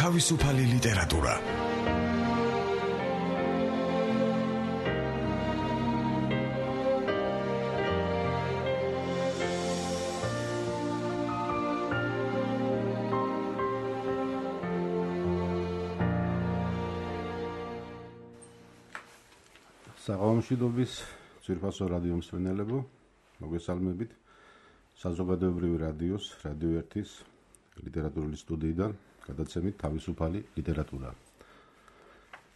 თავისუფალი ლიტერატურა. საღამომშვიდობის ძვირფასო რადიო მსმენელებო, მოგესალმებით საზოგადოებრივი რადიოს, რადიო 1-ის ლიტერატურული სტუდიიდან, გადაცემით თავისუფალი ლიტერატურა.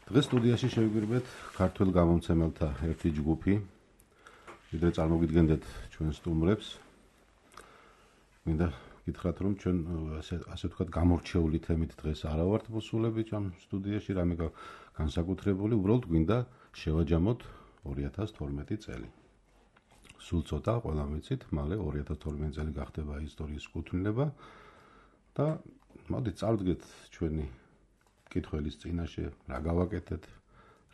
დღეს სტუდიაში შევიგვირებთ ქართველ გამომცემელთა ერთი ჯგუფი, ვიდრე წარმოგიდგენდეთ ჩვენ სტუმრებს. მინდა გითხრათ, რომ ჩვენ ასე ვთქვათ გამორჩეული თემით დღეს არა ვართ მოსულები ამ სტუდიაში, რამე განსაკუთრებული, უბრალოდ გვინდა შევაჯამოთ 2012 წელი. სულ ცოტა, ყველა ვიცით, მალე 2012 წელი გახდება ისტორიის კუთვნილება და მოდით წავდგეთ ჩვენი მკითხველის წინაშე, რა გავაკეთეთ,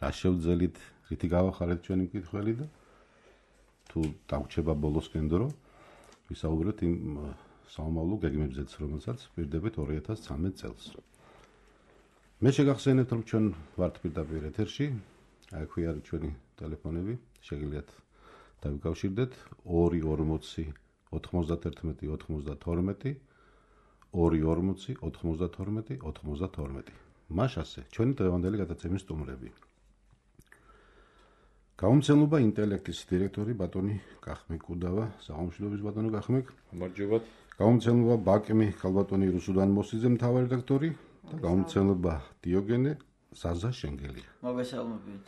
რა შევძელით, რითი გავახარეთ ჩვენი მკითხველი და თუ დაგვჩება ბოლოსკენ დრო, ვისაუბროთ იმ საომავლო გეგმებზეც, რომელსაც პირდებით 2013 წელს. მე შეგახსენებთ, რომ ჩვენ ვართ პირდაპირ ეთერში. აქვე არის ჩვენი ტელეფონები, შეგიძლიათ დავიკავშირდეთ 240 91 92 240 92 92. მაშასე, ჩვენი დღევანდელი გადაცემის სტუმრები. გამომცემლობა ინტელექტის დირექტორი ბატონი კახმე კუდავა, საღამომშვიდობის ბატონო კახმე. გამარჯობათ. გამომცემლობა ბაკმი ქალბატონი რუსუდან მოსიძე მთავარი რედაქტორი და გამომცემლობა დიოგენე ზაზა შენგელი. მოგესალმებით.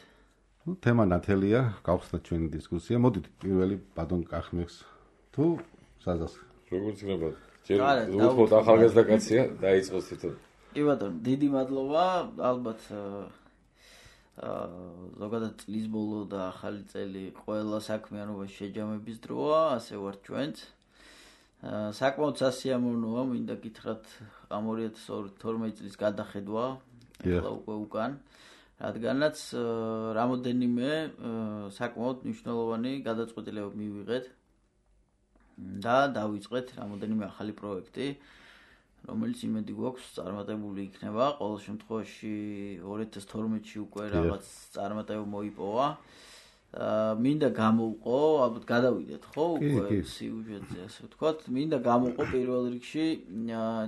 თემა ნათელია, გავხსნათ ჩვენი დისკუსია. მოდით პირველი ბატონ კახმეს თუ ზაზას. როგორც გნებად. ჯერ უბრალოდ ახალგაზრდა კაცია, დაიწყოს თვითონ. კი ბატონო, დიდი მადლობა, ალბათ ზოგადად წლის ბოლო და ახალი წელი ყველა საქმიანობაში შეჯამების დროა, ასე ვარ ჩვენც. საკმაოდ სასიამოვნოა, მინდა გითხრათ, ამ 2012 წლის გადახედვა, ახლა უკვე უკან, რადგანაც რამოდენიმე საკმაოდ მნიშვნელოვანი გადაწყვეტილება მივიღეთ და დავიწყეთ რამოდენიმე ახალი პროექტი, რომელიც იმედი გვაქვს წარმატებული იქნება. ყოველ შემთხვევაში 2012-ში უკვე რაღაც წარმატება მოიპოვა. მინდა გამოვყო, ალბათ გადავიდეთ, ხო, უკვე სიუჟეტზე, ასე ვთქვათ. მინდა გამოვყო პირველ რიგში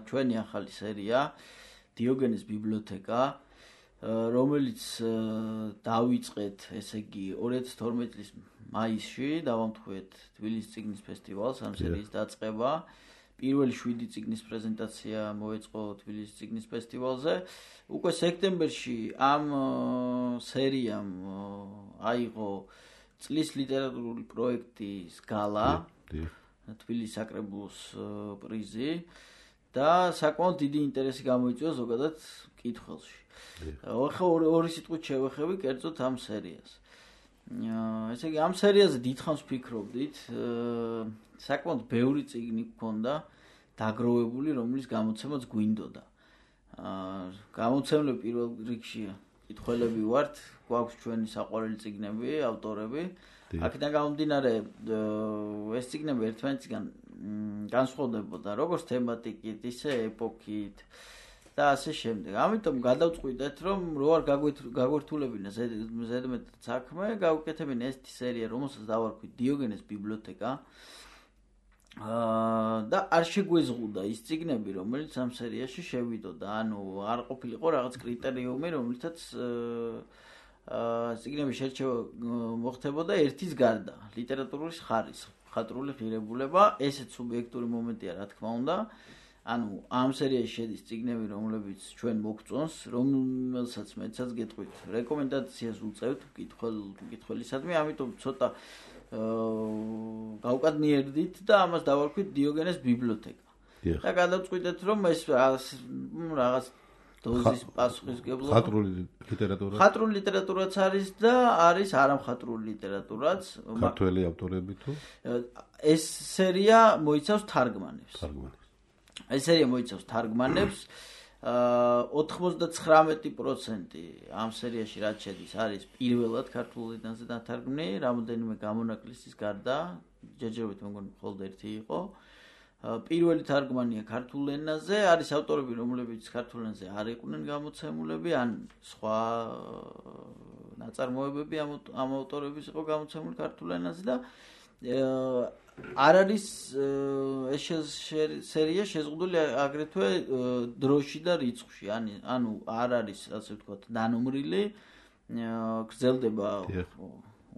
ჩვენი ახალი სერია დიოგენეს ბიბლიოთეკა, რომელიც დავიწყეთ, ესე იგი 2012 წლის მაისში, დავამთხვევით თბილისის წიგნის ფესტივალს, ამ სერიის დაწყება. პირველი 7 წიგნის პრეზენტაცია მოეწყო თბილისის წიგნის ფესტივალზე. უკვე სექტემბერში ამ სერიამ აიღო წლის ლიტერატურული პროექტის გალა, თბილისის საკრებულოს პრიზი და საკმაოდ დიდი ინტერესი გამოიწვია ზოგადად მკითხველში. ახლა ორი სიტყვით შევეხები კერძოდ ამ სერიას. ესე იგი ამ სერიაზე დიდხანს ვფიქრობდით, საკმაოდ ბევრი წიგნი გქონდა დაგროვებული, რომლის გამოცემაც გვინდოდა. გამოცემლები პირველ რიგში მკითხველები ვართ, გვაქვს ჩვენი საყვარელი წიგნები, ავტორები. აქედან გამომდინარე, ეს წიგნები ერთმანეთისგან განსხვავდებოდა, როგორც თემატიკით, ისე ეპოქით და ასე შემდეგ. ამიტომ გადავწყვიტეთ, რომ რო არ გაგვერთულებინა ზედმეტ საქმე, გავუკეთებინა ეს სერია, რომელსაც დავარქვით დიოგენეს ბიბლიოთეკა. და არ შეგვეზღუდა ის წიგნები, რომელიც ამ სერიაში შევიდოდა. ანუ არ ყოფილიყო რაღაც კრიტერიუმი, რომელთაც წიგნების შერჩევა მოხდებოდა ერთის გარდა. ლიტერატურის ხარისხი, მხატვრული ღირებულება, ესეც სუბიექტური მომენტია, რა თქმა უნდა. ანუ ამ სერიაში შედის წიგნები, რომლებიც ჩვენ მოგწონს, რომელსაც მეცაც გეტყვით, რეკომენდაციას უწევთ მკითხველისადმი, ამიტომ ცოტა გავკადნიერდით და ამას დავარქვით დიოგენეს ბიბლიოთეკა. და გადავწყვიტეთ, რომ ეს რაღაც დოზის პასუხისგებლობა. ხატრული ლიტერატურაც არის და არის არამხატრული ლიტერატურაც. ქართველი ავტორები თუ? ეს სერია მოიცავს თარგმანებს. ეს სერია მოიცავს თარგმანებს. 99% ამ სერიაში რაც შედის არის პირველად ქართულ ენაზე დათარგმნილი, რამოდენიმე გამონაკლისის გარდა, ჯერჯერობით მეგონი მხოლოდ ერთი იყო. პირველი თარგმანია ქართულ ენაზე, არის ავტორები, რომლებიც ქართულ ენაზე არ იყვნენ გამოცემულები, ან სხვა ნაწარმოებები ამ ავტორების იყო გამოცემული ქართულ ენაზე და არ არის ეს სერია შეზღუდული აგრეთვე დროში და რიცხვში, ანუ არ არის, ასე ვთქვათ, დანომრილი, გრძელდება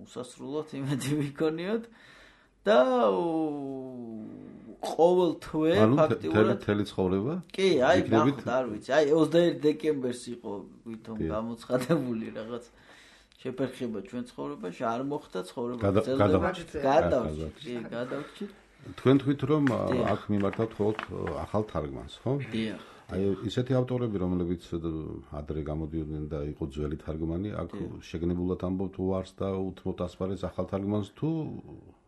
უსასრულოდ, იმედი ვიქონიოთ და ყოველ თვე ფაქტიურად მთელი ცხოვრება? კი, აი, ნახოთ, არ ვიცი. აი 21 დეკემბერს იყო ვითომ გამოცხადებული რაღაც შეფერხება ჩვენ ცხოვრებაში, არ მოხდა ცხოვრება გრძელდება. გადავჭით. თქვენ თქვით რომ აქ მიმართავთ მხოლოდ ახალ თარგმანს, ხო? დიახ. აი ისეთი ავტორები, რომლებიც ადრე გამოდიოდნენ და იყო ძველი თარგმანი, აქ შეგნებულად ამბობთ თუ არს და უთმობთ ასპარეზს ახალ თარგმანს თუ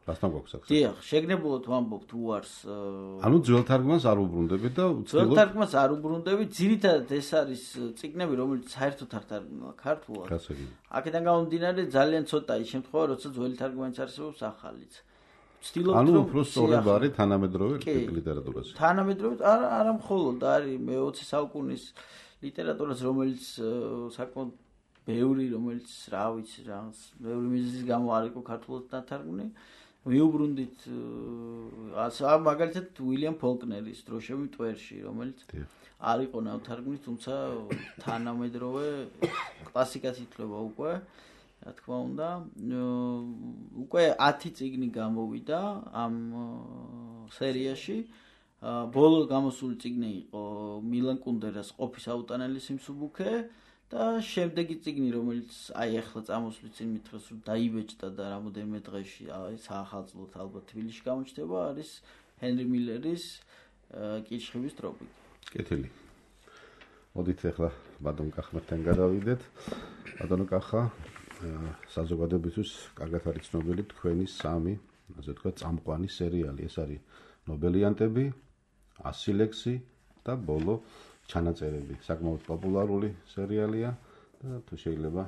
რასთან გვაქვს აქ? დიახ, შეგნებულად ვამბობთ უარს. ანუ ძველ თარგმანს არ უბრუნდებით და ძველ თარგმანს არ უბრუნდებით, ძირითადად ეს არის წიგნები, რომელიც საერთოდ არ თარგმნა ქართულად. აქედან გამომდინარე ძალიან ცოტაა ის შემთხვევა, როცა ძველი თარგმანიც არსებობს ახალიც. ანუ უფრო სწორება არის თანამედროვე ლიტერატურაზე. თანამედროვე არა მხოლოდ არის მე-20 საუკუნის ლიტერატურას, რომელიც საკმაოდ ბევრი, რომელიც რა ვიცი, რაღაც ბევრი მიზეზის გამო არ იყო ქართულად დათარგმნილი. მიუბრუნდით მაგალითად უილიამ ფოლკნერის დროშები მტვერში, რომელიც არ იყო ნავთარგმნი, თუმცა თანამედროვე კლასიკად ითვლება უკვე. Რა თქმა უნდა, უკვე 10 წიგნი გამოვიდა ამ სერიაში. ბოლო გამოსული წიგნი იყო მილან კუნდერას ყოფის აუტანელი სიმსუბუქე და შემდეგი წიგნი, რომელიც აი ახლა წამოსული წინ მითხრეს, რომ დაიბეჭდა და რამოდენიმე დღეში საახალწლოდ ალბათ თბილისში გამოჩნდება, არის ჰენრი მილერის კირჩხიბის ტროპიკი. კეთილი. მოდით ახლა ბატონ კახმერთან გადავიდეთ. ბატონო კახა, საზოგადოებისთვის კარგად არის ცნობილი თქვენი 3, ასე ვთქვათ, წამყვანი სერიალი. ეს არის ნობელიანტები, 100 ლექსი და ბოლო ჩანაწერები. საკმაოდ პოპულარული სერიალია და თუ შეიძლება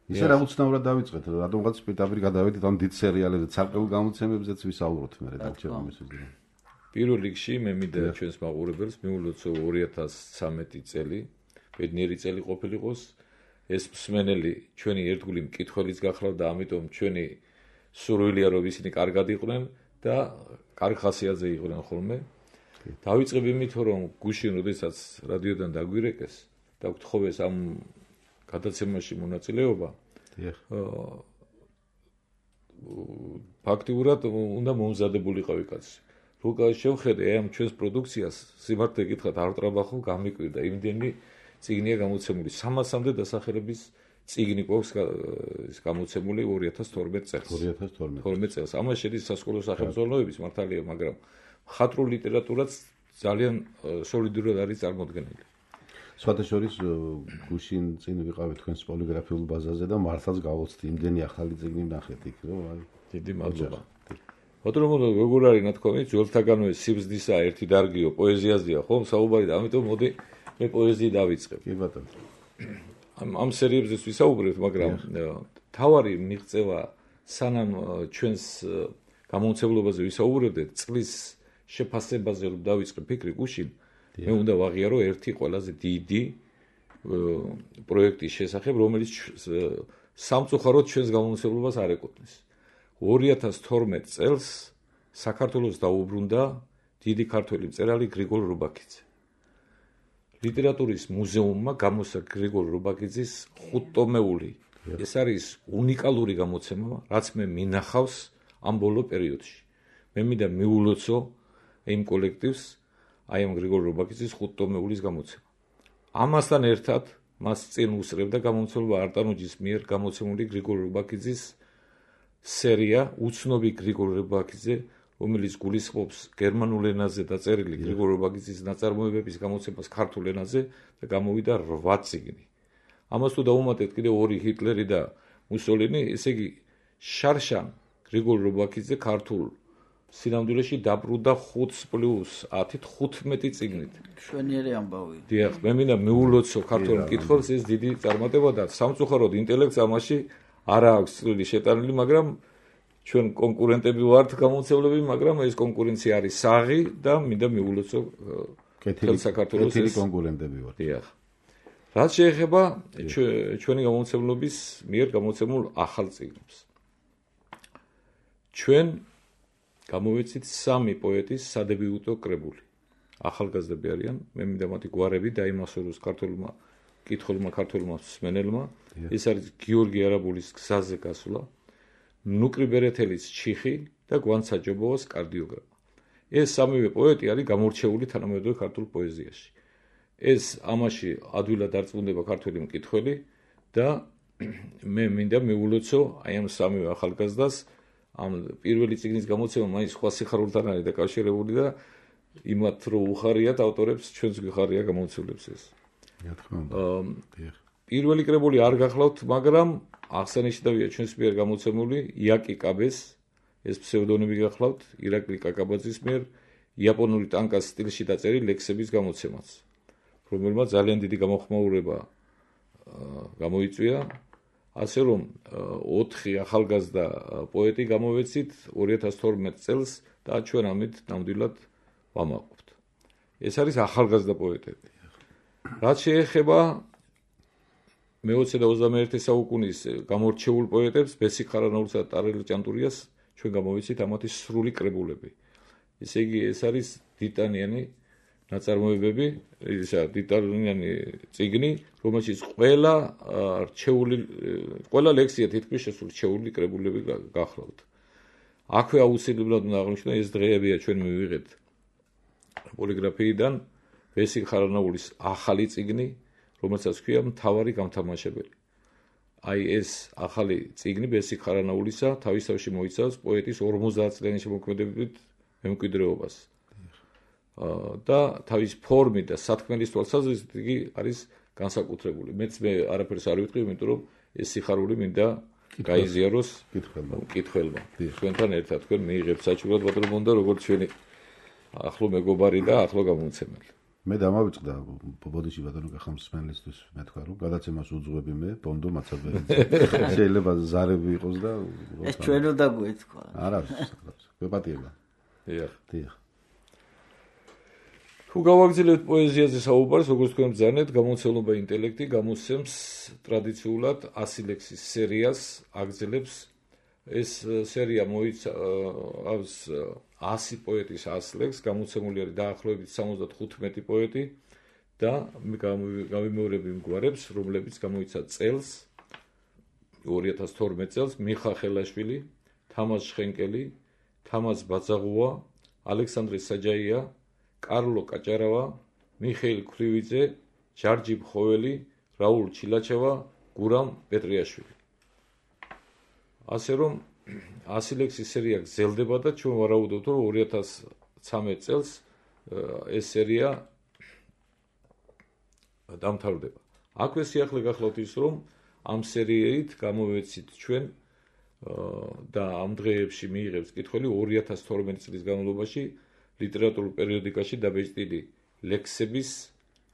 ისე რა უცნაურად დავიწყეთ, რადგანაც პირდაპირ გადავედით ამ დიდ სერიალებზე, ცალკეულ გამოცემებზეც ვისაუბროთ მე დაგჭირდა მისვლა. პირველ რიგში მე მინდა ჩვენს მაყურებელს მიულოცო 2013 წელი, ბედნიერი წელი ყოფილიყოს. ეს მსმენელი ჩვენი ერთგული მკითხველიც გახლავთ და ამიტომ ჩვენი სურვილია რომ ისინი კარგად იყვნენ და კარგ ხასიათზე იყვნენ ხოლმე. დავიწყებ იმით, რომ გუშინ როდესაც რადიოდან დაგვირეკეს და გთხოვეს ამ გადაცემაში მონაწილეობა. ფაქტიურად უნდა მომზადებულიყავი კაცი. როცა შევხედე ამ ჩვენს პროდუქციას, სიმართლე გითხრათ, არ ვტრაბახო, გამიკვირდა იმდენი წიგნია გამოცემული 300-მდე დასახელების წიგნი გვაქვს გამოცემული 2012 წელს. 2012 წელს. ამას შედის სასკოლო სახელმძღვანელოების მართალია, მაგრამ მხატვრულ ლიტერატურაც ძალიან სოლიდურად არის წარმოდგენილი. სხვათა შორის გუშინ წინ ვიყავით თქვენს პოლიგრაფიულ ბაზაზე და მართლაც გავოცდი იმდენი ახალი წიგნი ვნახეთ იქ, რომ აი დიდი მადლობა. ბატონო, როგორ არის ნათქვამი, ძველთაგანვე სიბზნისა ერთი დარგიო, პოეზიაზეა, ხო? საუბარი და ამიტომ მოდი მე პოეზიი დავიწყებ. კი ბატონო. ამ სერიებზეც ვისაუბრებთ, მაგრამ თავარი მიღწევა სანამ ჩვენს გამომცემლობაზე ვისაუბრებდეთ, წლის შეფასებაზე რომ დავიწყე ფიქრი გუშინ, მე უნდა ვაღიარო ერთი ყველაზე დიდი პროექტის შესახებ, რომელიც სამწუხაროდ ჩვენს გამომცემლობას არ ეკუთვნის. 2012 წელს საქართველოს დაუბრუნდა დიდი ქართველი მწერალი გრიგოლ რუბაქიძე. ლიტერატურის მუზეუმმა გამოსცა გრიგოლ რუბაქიძის 5 ტომეული. ეს არის უნიკალური გამოცემა, რაც მე მინახავს ამ ბოლო პერიოდში. მე მინდა მიულოცო იმ კოლექტივს აი ამ გრიგოლ რუბაქიძის 5 ტომეულის გამოცემა. ამასთან ერთად მას წინ უსწრებდა გამომცემლობა არტანოჯის მიერ გამოცემული გრიგოლ რუბაქიძის სერია უცნობი გრიგოლ რუბაქიძე, რომელიც გულისხმობს გერმანულ ენაზე დაწერილი გრიგოლ რუბაქიძის ნაწარმოებების გამოცემას ქართულ ენაზე და გამოვიდა 8 წიგნი. ამას თუ დავუმატეთ კიდევ 2 ჰიტლერი და მუსოლინი, ესე იგი შარშან გრიგოლ რუბაქიძე ქართულ სინამდვილეში დაბრუნდა 5+10 15 წიგნით. შვენიერი ამბავი. დიახ, მე მინდა მიულოცო ქართულ მკითხველს ეს დიდი წარმატება და სამწუხაროდ ინტელექტს ამაში არა აქვს წვლილი შეტანილი, მაგრამ ჩვენ კონკურენტები ვართ გამომცემლები, მაგრამ ეს კონკურენცია არის საღი და მინდა მიულოცო კეთილი საქართველოს კონკურენტები ვართ. დიახ. რაც შეეხება ჩვენი გამომცემლობის მიერ გამოცემულ ახალ წიგნებს. ჩვენ გამოვეცით 3 პოეტის სადებიუტო კრებული. ახალგაზრდები არიან, მე მინდა მათი გვარები დაიმასუროს ქართულმა კითხულმა ქართულმა მსმენელმა. ეს არის გიორგი არაბულის გზაზე გასვლა, ნუკრი ბერეთელის ჩიხი და გვანცაჯობოვას კარდიოგრამა. ეს 3 პოეტი არის გამორჩეული თანამედროვე ქართულ პოეზიაში. ეს ამაში ადვილად დარწმუნდება ქართველი მკითხველი და მე მინდა მიულოცო აი ამ 3 ახალგაზრდას ამ პირველი წიგნის გამოცემა მაინც სხვა სიხარულთან არის დაკავშირებული და იმათ რო უხარიათ ავტორებს ჩვენც გვიხარია გამოცემლებს ეს. რა თქმა უნდა. პირველი კრებული არ გახლავთ, მაგრამ აღსანიშნავია ჩვენს მიერ გამოცემული იაკი კაბეს, ეს ფსევდონიმი გახლავთ, ირაკლი კაკაბაძის მიერ იაპონური ტანკას სტილში დაწერილი ლექსების გამოცემაც, რომელმაც ძალიან დიდი გამოხმაურება გამოიწვია, ასე რომ 4 ახალგაზრდა პოეტი გამოვეცით 2012 წელს და ჩვენ ამით ნამდვილად ვამაყობთ. ეს არის ახალგაზრდა პოეტები. რაც შეეხება მე-20 და 21 საუკუნის გამორჩეულ პოეტებს, ბესიკ ხარანაულსა და ტარელ ჭანტურიას ჩვენ გამოვეცით ამათი სრული კრებულები. ესე იგი, ეს არის დიტანიანი ნაწარმოებები, დიტანიანი წიგნი, რომელშიც ყველა ლექსია თითქმის შესურჩეული კრებულები გახლავთ. აქვე აუცილებლად უნდა აღნიშნო, ეს დღეებია ჩვენ მივიღეთ პოლიგრაფიიდან ბესიკ ხარანაულის ახალი წიგნი, რომელსაც ქვია მთავარი გამთამაშებელი. აი ეს ახალი წიგნი ბესიკ ხარანაულისა თავისთავში მოიცავს პოეტის 50 წლიანი შემოქმედებით მემკვიდრეობას. და თავის ფორმით და სათქმელის თვალსაზრისით იგი არის განსაკუთრებული. მე არაფერს არ ვიტყვი, იმიტომ რომ ეს სიხარული მინდა გაიზიაროს მკითხველმა. თქვენთან ერთად თქვენ მიიღებთ საჩუქრად ბატონო, როგორც ჩვენი ახლო მეგობარი და ახლო გამომცემელი. მე დამავიწყდა ბოდიში ბატონო ხამსმენლისთვის მე თქვა რომ გადაცემას უძღვები მე ბონდო მაცაბერიძე. შეიძლება ზარები იყოს და ეს ჩვენ უნდა გვეთქვა. არა, გვეპატიება. დიახ. თუ გავაგრძელებთ პოეზიაზე საუბარს, როგორც თქვენ ბრძანეთ, გამოცემლობა ინტელექტი გამოსცემს ტრადიციულად 100 ლექსის სერიას, აგრძელებს ეს სერია მოიცავს 100 პოეტის 100 ლექსს, გამოცემული არის დაახლოებით 75 პოეტი და გავიმეორებ იმ გვარებს, რომლებიც გამოიცა წელს 2012 წელს მიხა ხელაშვილი, თამაზ შხენკელი, თამაზ ბაძაღუა, ალექსანდრე საჯაია, კარლო კაჭარავა, მიხეილ ქრივიძე, ჯარჯი მხოველი, რაულ ჩილაჩევა, გურამ პეტრიაშვილი. ასე რომ 100 ლექსის სერია გრძელდება და ჩვენ ვარაუდობთ, რომ 2013 წელს ეს სერია დამთავრდება. აქვე სიახლე გახლავთ ის, რომ ამ სერიით გამოვეცით ჩვენ და ამ დღეებში მიიღებს კითხველი 2012 წლის განმავლობაში ლიტერატურულ პერიოდიკაში დაბეჭდილი ლექსების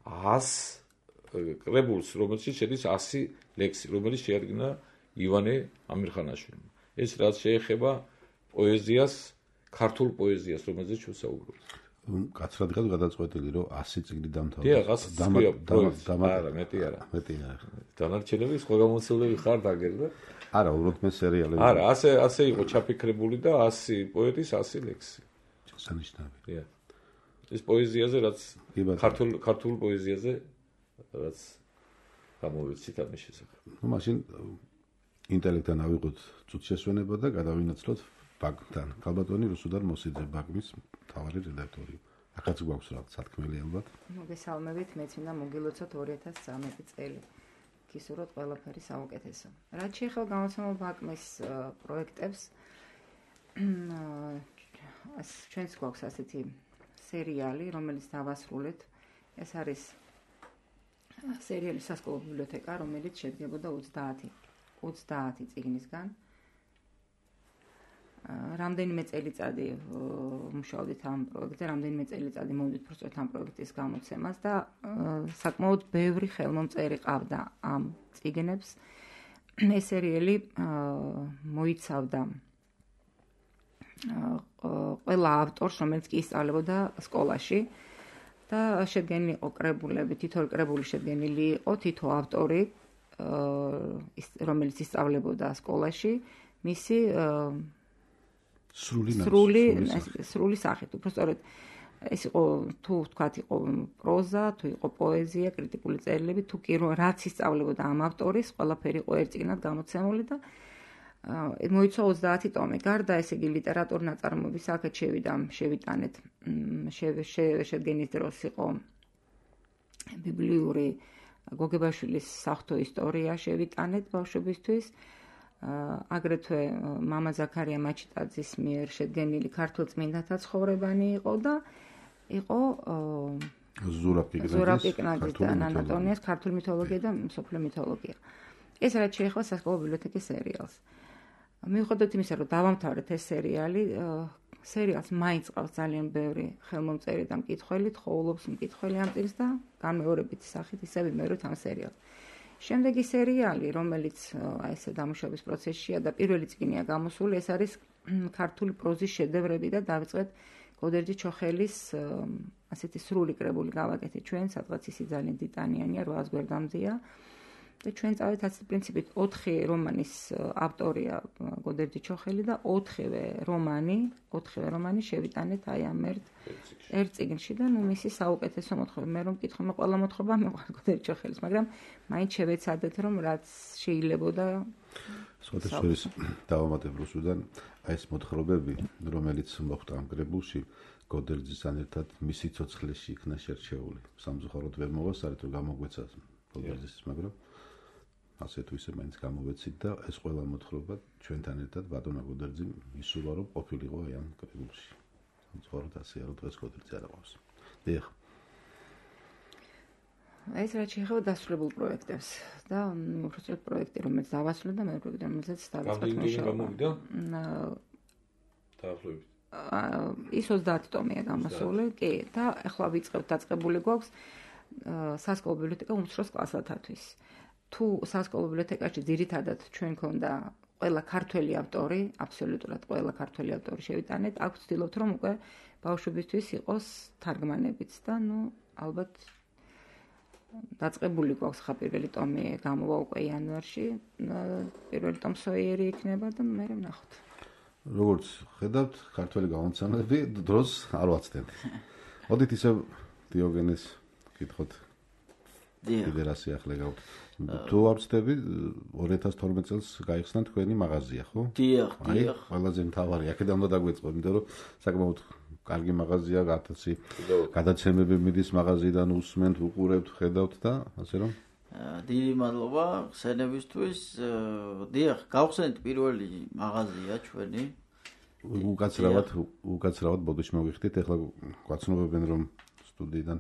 100 კრებულს, რომელშიც შედის 100 ლექსი, რომელიც შეადგინა ივანე ამირხანაშვილმა. ეს რაც შეეხება პოეზიას, ქართულ პოეზიას, რომელზეც ჩვენ საუბრობთ. კაცრად გადაწყვეტილი, რომ 100 წიგნი დამთავრდა. დიახ, 100 არა, მეტი არა. დანარჩენები სხვა გამოცემლები ხართ აგერ და არა, უბრალოდ მე სერიალები. არა, ასე იყო ჩაფიქრებული და 100 პოეტის 100 ლექსი. სანიშნავია. ეს პოეზიაზე, რაც ქართულ პოეზიაზე, რაც გამოვეცით ამის შესახებ. ნუ მაშინ ინტელექტთან ავიღოთ წუთ შესვენება და გადავინაცვლოთ ბაგთან. ქალბატონი რუსუდარ მოსიძე ბაგმის მთავარი რედაქტორი. ახაც გვაქვს რაღაც სათქმელი ალბათ. მოგესალმებით, მეც მინდა მოგილოცოთ 2013 წელი. გისურვოთ ყველაფერი საუკეთესო. რაც შეეხება გამოცემულ ბაგმის პროექტებს, ჩვენც გვაქვს ასეთი სერიალი, რომელიც დავასრულეთ. ეს არის სერიალი სასკოლო ბიბლიოთეკა, რომელიც შედგებოდა 30 წიგნისგან. რამდენიმე წელიწადი მუშაობდით ამ პროექტზე, რამდენიმე წელიწადი მოვიდით პროცესით ამ პროექტის გამოცემას და საკმაოდ ბევრი ხელმომწერი ყავდა ამ წიგნებს. ეს სერიალი მოიცავდა ყველა ავტორს, რომელიც კი ისწავლებოდა სკოლაში და შედგენილი იყო კრებულები, თითოეული კრებული შედგენილი იყო თითო ავტორი, რომელიც ისწავლებოდა სკოლაში, მისი სრული სახით. უბრალოდ ეს იყო თუ ვთქვათ იყო პროზა, თუ იყო პოეზია, კრიტიკული წერილები, თუ კი რაც ისწავლებოდა ამ ავტორის, ყველაფერი იყო ერთ წიგნად გამოცემული და მოიცვა 30 ტომი. გარდა ესე იგი ლიტერატურული ნაწარმოების აქეთ შევიტანეთ. შედგენის დროს იყო ბიბლიური გოგებაშვილის საღვთო ისტორია შევიტანეთ ბავშვებისთვის. აგრეთვე მამა ზაქარია მაჩიტაძის მიერ შედგენილი ქართულ წმინდათა ცხოვრებანი იყო და იყო ზურაბ პიკნაძის და ნანა ტონიას ქართული მითოლოგია და მსოფლიო მითოლოგია. ეს რაც შეეხება სასკოლო ბიბლიოთეკის სერიალს. მიუხედავად იმისა, რომ დავამთავრეთ ეს სერიალი, სერიალს მაინც ყავს ძალიან ბევრი ხელმომწერი და მკითხველი, თხოვლობს მკითხველი ამ წიგნს და განმეორებითი სახით ისე ვიმეორებთ ამ სერიალს. შემდეგი სერიალი, რომელიც ესე დამუშავების პროცესშია და პირველი წიგნია გამოსული, ეს არის ქართული პროზის შედევრები და დავიწყეთ გოდერძი ჩოხელის ასეთი სრული კრებული გავაკეთეთ ჩვენ, სადღაც ისი ძალიან ტიტანიანია, 800 გვერდამდეა. და ჩვენ წავედით ასეთი პრინციპით 4 რომანის ავტორია გოდერძი ჩოხელი და 4-ვე რომანი შევიტანეთ აი ამ ერთ წიგნში და ნუ მისი საუკეთესო მოთხრობა. მე რომ მკითხო მე ყველა მოთხრობა მეყვარს გოდერძი ჩოხელის, მაგრამ მაინც შევეცადეთ რომ რაც შეიძლებოდა სხვადასხვის დავამატებ რუსუდან აი ეს მოთხრობები, რომელიც მოხდა ამ კრებულში გოდერძისთან ერთად მისი ცოცხლეში იქნა შერჩეული. სამწუხაროდ ვერ მოვასწარეთ რომ გამოგვეცა გოდერძის, მაგრამ ასე თუ ისე მაინც გამოვეცით და ეს ყველა მოთხრობა ჩვენთან ერთად ბატონო გოდერძი ისულა რომ ყოფილიყო აი ამ კრებულში. სამწუხაროდ ასეა რომ დღეს გოდერძი არ აქვს. დიახ. ეს რაც შეეხება დასრულებულ პროექტებს და უბრალოდ პროექტი რომელიც დავასრულე და მე პროექტი რომელზეც დავიწყეთ მუშაობა. დაახლოებით. ის 30 ტომია გამოსული, კი, და ახლა ვიწყებთ დაწყებული გვაქვს სასკოლო ბიბლიოთეკა უმცროს კლასათათვის. თუ სასკოლო ბიბლიოთეკაში ძირითადად ჩვენ ქონდა ყველა ქართველი ავტორი, აბსოლუტურად ყველა ქართველი ავტორი შევიტანეთ, აქ ვცდილობთ რომ უკვე ბავშვებისთვის იყოს თარგმანებიც და ნუ ალბათ დაწყებული გვაქვს ხა პირველი ტომი გამოვა უკვე იანვარში, პირველი ტომ სოიერი იქნება და მე ვნახოთ. როგორც ხედავთ, ქართველი გამოცემები დროს არ ვაცდენ. მოდით ისევ დიოგენეს კითხოთ. კიდე რა სიახლე გაქვთ. თუ არ ვცდები 2012 წელს გაიხსნა თქვენი მაღაზია, ხო? დიახ. ყველაზე მთავარი, აქედან უნდა დაგვეწყოთ, იმიტომ რომ საკმაოდ კარგი მაღაზია, გათაცი გადაცემები მიდის მაღაზიიდან, უსმენთ, უყურებთ, ხედავთ და ასე რომ დიდი მადლობა ხსენებისთვის. დიახ, გავხსენეთ პირველი მაღაზია ჩვენი. უკაცრავად ბოდიში მოგიხდით, ეხლა გვაცნობებენ რომ სტუდიიდან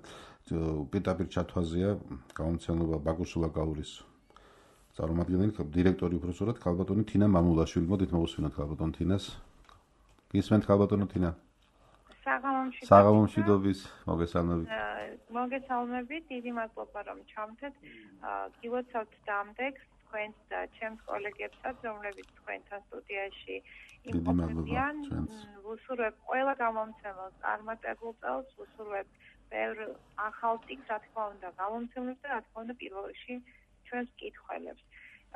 პირდაპირ ჩათვაზია გამომცემლობა ბაკუშულა გაურის წარმომადგენელი, დირექტორი უпроსორად ქალბატონი თინა მამულაშვილი. მოდით მოვუსმინოთ ქალბატონ თინას. გისმენთ ქალბატონო თინა? საღამომშვიდობის მოგესალმებით. მოგესალმებით, დიდი მადლობა რომ ჩამთეთ. გილოცავთ დამდეგს თქვენს და ჩემს კოლეგებსაც, რომლებიც თქვენთან სტუდიაში იმყოფებიან. ვუსურვებ ყველა გამომცემელს წარმატებულ წელს, ვუსურვებ ბევრ ახალ წიგნს, რა თქმა უნდა, გამომცემლებს და რა თქმა უნდა პირველ რიგში ჩვენს მკითხველებს.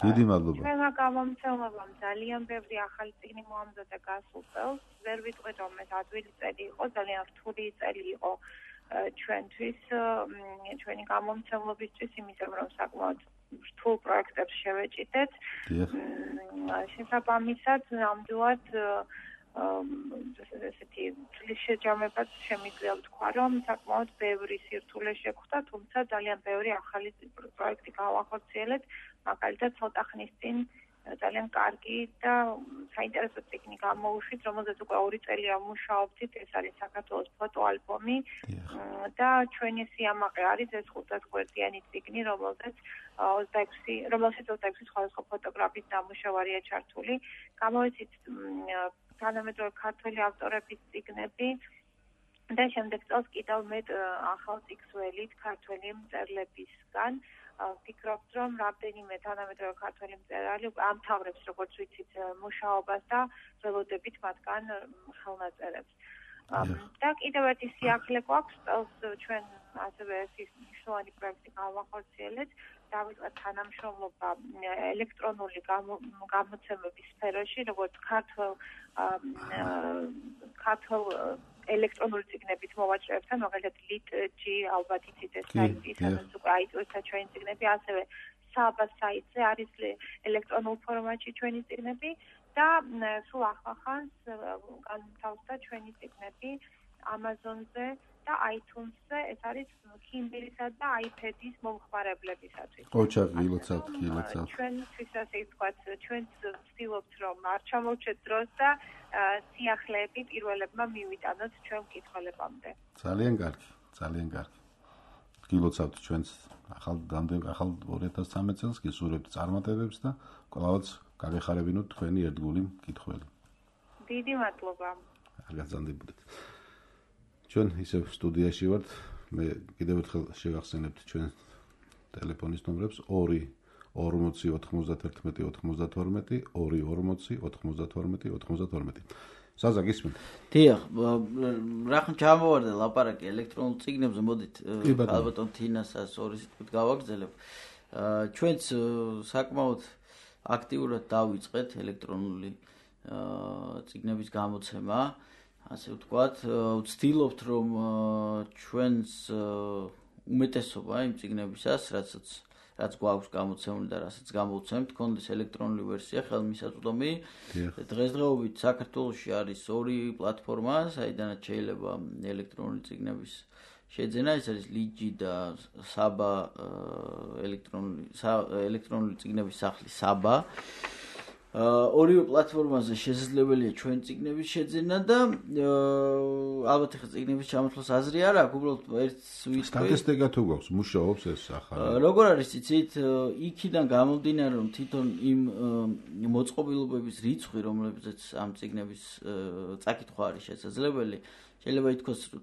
დიდი მადლობა. ჩვენმა გამომცემლებამ ძალიან ბევრი ახალი წიგნი მოამზადა გასულ წელს. ვერ ვიტყვით რომ ეს ადვილი წელი იყო, ძალიან რთული წელი იყო ჩვენთვის, ჩვენი გამომცემლობისთვის, იმიტომ რომ საკმაოდ რთულ პროექტებს შევეჭიდეთ. შესაბამისად, ნამდვილად ესეთი წლის შეჯამებაც შემიძლია ვთქვა, რომ საკმაოდ ბევრი სირთულე შეგვხვდა, თუმცა ძალიან ბევრი ახალი პროექტი გავახორციელეთ, მაგალითად ცოტა ხნის წინ ძალიან კარგი და საინტერესო წიგნი გამოვუშვით, რომელზეც უკვე 2 წელია მუშაობთ, ეს არის საქართველოს ფოტოალბომი და ჩვენი სიამაყე არის ეს 500 გვერდიანი წიგნი, რომელშიც 26 სხვადასხვა ფოტოგრაფის დამუშავარია ჩართული. გამოვიცით თანამედროვე ქართველი ავტორების წიგნები, და შემდეგ წელს კიდევ მეტ ახალ წიგნს ქართველი მწერლებისგან ვფიქრობთ, რომ რამდენიმე თანამედროვე ქართველი მწერალი ამთავრებს, როგორც ვიცით, მუშაობას და ველოდებით მათგან ხელნაწერებს. და კიდევ ერთი სიახლე გვაქვს, წელს ჩვენ ასევე ერთი მნიშვნელოვანი პროექტი გავახორციელეთ, დავიწყეთ თანამშრომლობა ელექტრონული გამოცემების სფეროში, როგორც ქართულ ელექტრონული წიგნების მოვაჭრეებთან, მაგალითად lit.g ალბათ იცით ეს საიტი, სადაც უკვე აიწევთ ჩვენი წიგნები, ასევე საბა საიტზე არის ელექტრონულ ფორმატში ჩვენი წიგნები და სულ ახლახანს განთავსდა ჩვენი წიგნები Amazon-ზე და iTunes-ზე, ეს არის Kindle-ისა და iPad-ის მომხმარებლებისათვის. ოჩაღილოცავთ. ჩვენთვის ასე ვთქვათ, ჩვენც ვცდილობთ, რომ არ ჩამოვჭეთ დროს და სიახლეები პირველებმა მივიტანოთ ჩვენ მკითხველებამდე. ძალიან კარგი. გილოცავთ ჩვენს ახალ 2013 წელს გისურვებთ წარმატებებს და ყველაც გაგეხარებინოთ თქვენი ერთგული მკითხველი. დიდი მადლობა. გაგრძანდებოდეთ. ჩვენ ისევ სტუდიაში ვართ. მე კიდევ ერთხელ შევახსენებთ ჩვენ ტელეფონის ნომრებს 2 40 91 92 2 40 92 92. საზა გისმენთ. დიახ, რახან ჩამოვარდა ლაპარაკი ელექტრონულ წიგნებზე, მოდით ალბათ თინასაც ორი სიტყვით გავაგრძელებ. ჩვენც საკმაოდ აქტიურად დავიწყეთ ელექტრონული წიგნების გამოცემა, ასე ვთქვათ, ვცდილობთ რომ ჩვენს უმეტესობა იმ წიგნებისას, რაც გვაქვს გამოცემული და რასაც გამოვცემთ, კონდეს ელექტრონული ვერსია ხელმისაწვდომი. დღესდღეობით საქართველოში არის 2 პლატფორმა, საიდანაც შეიძლება ელექტრონული წიგნების შეძენა, ეს არის lit.g და საბა ელექტრონული წიგნების სახლი საბა. ორივე პლატფორმაზე შესაძლებელია ჩვენ წიგნების შეძენა და ალბათ ახლა წიგნების ჩამოთვლას აზრი არ აქვს, უბრალოდ ერთს ვიტყვი. სტატისტიკა თუ გვაქვს, მუშაობს ეს ახალი. როგორ არის იცით, იქიდან გამომდინარე, რომ თვითონ იმ მოწყობილობების რიცხვი, რომლებზეც ამ წიგნების წაკითხვა არის შესაძლებელი, შეიძლება ითქვას, რომ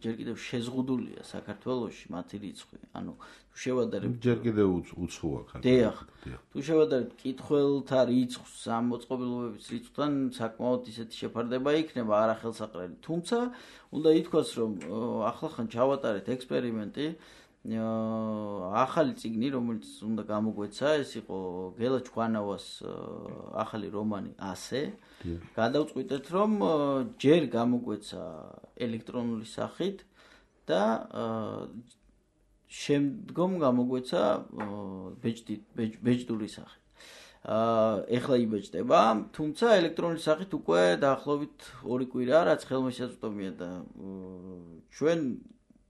ჯერ კიდევ შეზღუდულია საქართველოში მათი რიცხვი. ანუ თუ შევადარებთ ჯერ კიდევ უცხოა ხარ. დიახ. თუ შევადარებთ კითხველთა რიცხვს ამ მოწყობილობების რიცხვთან, საკმაოდ ისეთი შეფარდება იქნება არახელსაყრელი. თუმცა უნდა ითქვას, რომ ახლახან ჩავატარეთ ექსპერიმენტი, ახალი წიგნი, რომელიც უნდა გამოგვეცა, ეს იყო გელა ჩქვანავას ახალი რომანი ასე. გადავწყვიტეთ, რომ ჯერ გამოგვეცა ელექტრონული სახით და შემდგომ გამოგვეცა ბეჭდური სახით. ეხლა იბეჭდება, თუმცა ელექტრონული სახით უკვე დაახლოებით 2 კვირა, რაც ხელმისაწვდომია და ჩვენ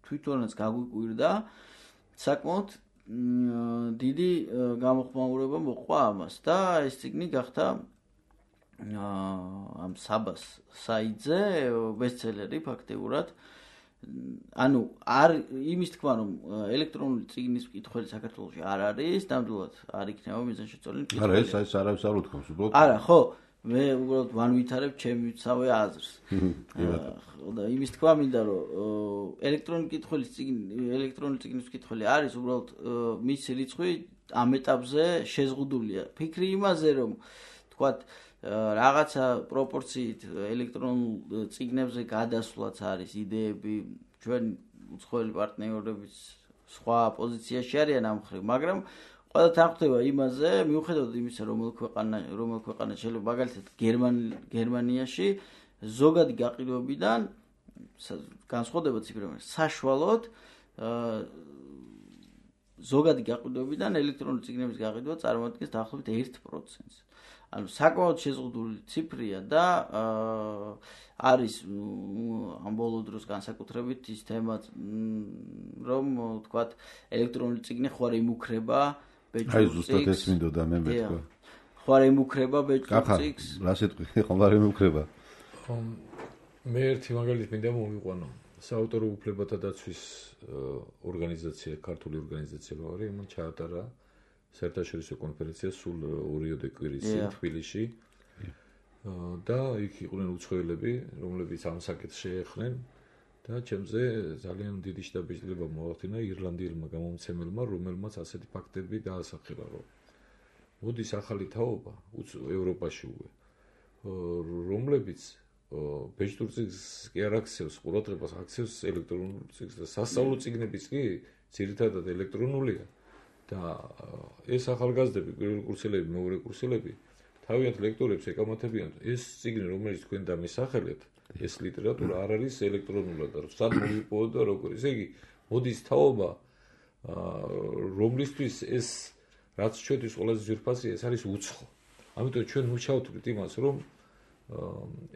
თვითონაც გაგვიკვირდა საკმაოდ დიდი გამოხმაურება მოყვა ამას და ეს წიგნი გახდა ამ საბას საიტზე ბესტსელერი ფაქტიურად. ანუ არ იმის თქმა, რომ ელექტრონული წიგნის მკითხველი საქართველოში არ არის, ნამდვილად არ იქნება მიზანშეწონილი მკითხველი. არა, ეს არის არ უთქვამს, უბრალოდ. არა, ხო, მე უბრალოდ ვანვითარებ ჩემსავე აზრს. და იმის თქმა მინდა, რომ ელექტრონული წიგნის მკითხველი არის, უბრალოდ მისი რიცხვი ამ ეტაპზე შეზღუდულია. ფიქრი იმაზე, რომ თქვათ რაღაცა პროპორციით ელექტრონულ წიგნებზე გადასვლაც არის idეები, ჩვენ უცხოელი პარტნიორების სხვა პოზიციაში არიან ამ მხრივ, მაგრამ ყველა თანხმდება იმაზე, მიუხედავად იმისა, რომელ ქვეყანა შეიძლება მაგალითად გერმანიაში ზოგადი გაყიდვებიდან განსხვავდება ციფრები, საშუალოდ ზოგადი გაყიდვებიდან ელექტრონული წიგნების გაყიდვა წარმოადგენს დაახლოებით 1%-ს. ანუ საკმაოდ შეზღუდული ციფრია და არის ამ ბოლო დროს განსაკუთრებით ის თემა, რომ თქვათ ელექტრონული წიგნი ხوار იმუქრება ბეჭდურ წიგნს. აი ზუსტად ეს მინდოდა მე მეთქვა. ხوار იმუქრება ბეჭდურ წიგნს. რა სიტყვი ხوار იმუქრება? მე ერთი მაგალითი მინდა მოვიყვანო. საავტორო უფლებათა დაცვის ორგანიზაცია, ქართული ორგანიზაცია ვარი, მან ჩაატარა საერთაშორისო კონფერენცია სულ 2 კვირის წინ თბილისში. და იქ იყვნენ უცხოელები, რომლებიც ამ საკითხს შეეხნენ და ჩემზე ძალიან დიდი შთაბეჭდილება მოახდინა ირლანდიელმა გამომცემელმა, რომელმაც ასეთი ფაქტები დაასახელა, რომ მოდის ახალი თაობა ევროპაში რომლებიც ბეჭდურ წიგნს კი არ აქცევს ყურადღებას, აქცევს ელექტრონულ წიგნს და სასწავლო წიგნებიც კი ძირითადად ელექტრონულია და ეს ახალგაზრდები, პირველი კურსელები, მეორე კურსელები თავიანთ ლექტორებს ეკამათებიან, ეს წიგნი, რომელიც თქვენ დამისახელეთ, ეს ლიტერატურა არ არის ელექტრონულად და სად მოვიპოვოთ და როგორ. ესე იგი, მოდის თაობა, რომლისთვის ეს რაც ჩვენთვის ყველაზე ძვირფასია, ეს არის უცხო. ამიტომ ჩვენ მოვჩავთვლით იმას, რომ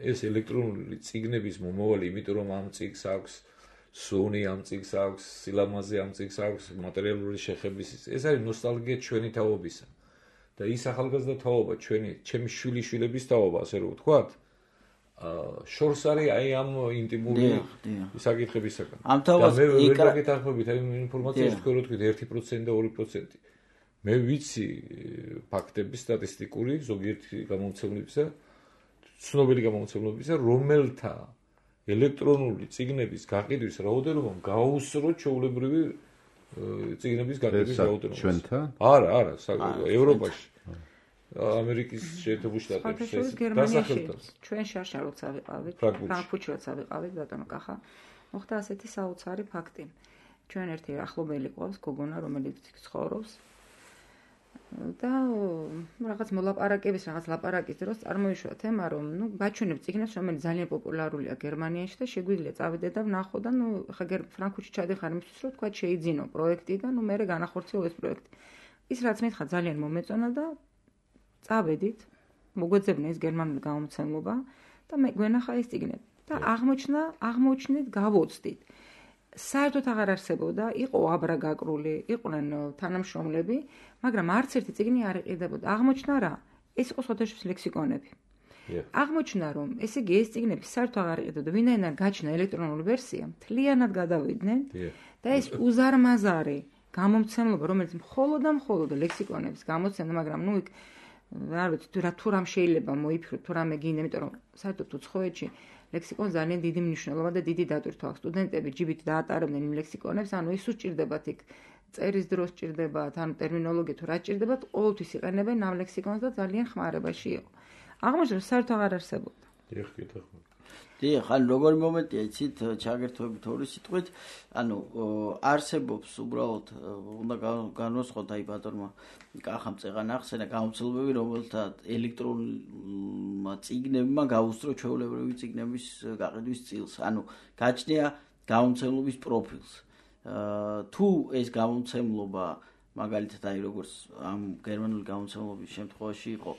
ეს ელექტრონული წიგნების მომავალი, იმიტომ რომ ამ წიგნს აქვს სუნი, ამ წიგნს აქვს სილამაზე, ამ წიგნს აქვს მატერიალური შეხების, ეს არის ნოსტალგია ჩვენი თაობისა. და ის ახალგაზრდა თაობა, ჩემი შვილიშვილების თაობა, ასე რომ ვთქვათ, შორს არის აი ამ ინტიმური საკითხებისაგან. და მე ვერ გაგეთანხმებით აი ინფორმაციას თქვენ რო თქვით 1% და 2%. მე ვიცი ფაქტები სტატისტიკური ზოგიერთი გამომცემლებისა, ცნობილი გამომცემლებისა, რომელთა ელექტრონული წიგნების გაყიდვის რაოდენობა გაუსროთ ჩვეულებრივი წიგნების გაყიდვის რაოდენობას. ჩვენთან? არა, ევროპაში. ამერიკის შეერთებულ შტატებში დასახელდა. ჩვენ შარშა როცა ვიყავით, ფრანკფურტში როცა ვიყავით, ბატონო კახა, მოხდა ასეთი საოცარი ფაქტი. ჩვენ ერთი ახლობელი ყავს გოგონა, რომელიც ცხოვრობს და რაღაც მოლაპარაკების, რაღაც ლაპარაკის დროს წარმოიშვა თემა, რომ გაჩვენებ წიგნებს, რომელიც ძალიან პოპულარულია გერმანიაში და შეგვიძლია წავიდე და ვნახო და ხა ფრანკფურტში ჩადიხარ იმისთვის, რომ თქვა შეიძინო პროექტი და მე განახორციელო ეს პროექტი. ის რაც მითხა ძალიან მომეწონა და წავედით, მოგვეძებნა ეს გერმანული გამომცემლობა და მე გვენახა ეს წიგნები და აღმოჩნდით, გავოცდით. საერთოდ აღარ არსებობდა, იყო აბრაგაკრული, იყვნენ თანამშრომლები, მაგრამ არც ერთი წიგნი არ იყიდებოდა. აღმოჩნდა რა? ეს იყო სხვადასხვა ლექსიკონები. აღმოჩნდა, რომ ესე იგი ეს წიგნები საერთოდ აღარ იყიდებოდა, ვინაიდან გაჩნდა ელექტრონული ვერსია, მთლიანად გადავიდნენ და ეს უზარმაზარი გამომცემლობა, რომელიც მხოლოდ ლექსიკონებს გამოცემდა, მაგრამ იქ არ ვიცი თუ რამ შეიძლება მოიფიქროთ, თუ რამე გინდა, იმიტომ რომ საერთოდ უცხოეთში ლექსიკონს ძალიან დიდი მნიშვნელობა და დიდი დატვირთვა აქვს. სტუდენტები ჯიბით დაატარებდნენ იმ ლექსიკონებს, ანუ ის სჭირდებათ იქ წერის დროს სჭირდებათ, ანუ ტერმინოლოგია თუ რა სჭირდებათ, ყოველთვის იყენებენ ამ ლექსიკონს და ძალიან ხმარებაში იყო. აღმოჩნდა საერთოდ აღარ არსებობდა. დიახ, ანუ როგორი მომენტია, იცით, ჩაგერთვებით ორი სიტყვით, ანუ არსებობს უბრალოდ უნდა განვასხვათ აი ბატონმა კახამ წეღან ახსენა გამომცემლობები, რომელთა ელექტრონულმა წიგნებმა გაუსწრო ჩვეულებრივი წიგნების გაყიდვის წილს. ანუ გაჩნია გამომცემლობის პროფილს. თუ ეს გამომცემლობა მაგალითად აი როგორც ამ გერმანული გამომცემლობის შემთხვევაში იყო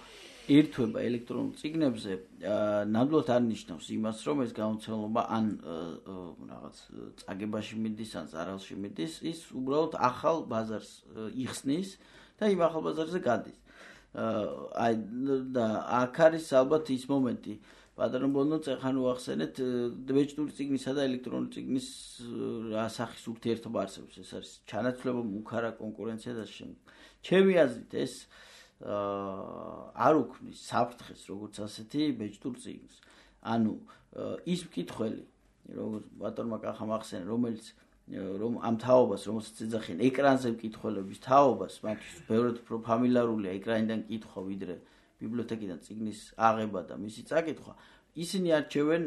ერთვება ელექტრონულ წიგნებზე, ნამდვილად არ ნიშნავს იმას, რომ ეს გამომცემლობა ან რაღაც წაგებაში მიდის, ან ზარალში მიდის, ის უბრალოდ ახალ ბაზარს იხსნის და იმ ახალ ბაზარზე გადის. აი და აქ არის ალბათ ის მომენტი, ბატონო ბონო წეხან უახსენეთ, ბეჭდური წიგნისა და ელექტრონული წიგნის რა სახის ურთიერთობა არსებობს, ეს არის ჩანაცვლება, მუქარა კონკურენცია და შემდეგ. ჩემი აზრით ეს არ უქმნის საფრთხეს როგორც ასეთი ბეჭდურ წიგნს. ანუ ის მკითხველი, როგორც ბატონმა კახამ ახსენა, რომელიც რომ ამ თაობას, რომელსაც ეძახიან ეკრანზე მკითხველების თაობას, მათთვის ბევრად უფრო ფამილარულია ეკრანიდან კითხვა, ვიდრე ბიბლიოთეკიდან წიგნის აღება და მისი წაკითხვა, ისინი არჩევენ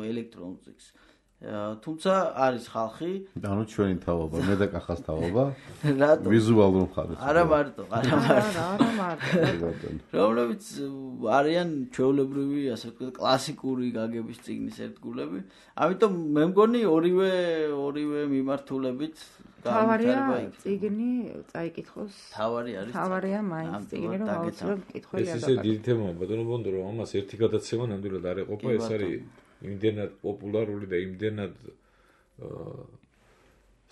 ელექტრონულ წიგნს. თუმცა არის ხალხი, ანუ ჩვენი თაობა, მე და კახას თაობა, ვიზუალურ მხარეს. არა მარტო. რომლებიც არიან ჩვეულებრივი, ასე ვთქვათ, კლასიკური გაგების წიგნის ერთგულები. ამიტომ მე მგონი ორივე მიმართულებით თავარია წიგნი წაიკითხოს. თავარია მაინც წიგნი რომ აუცილებლად მკითხველი ეს ისე დიდი თემაა, ბატონო ბონდო, რომ ამას ერთი გადაცემა ნამდვილად არ ეყოფა, ეს არის იმდენად პოპულარული და იმდენად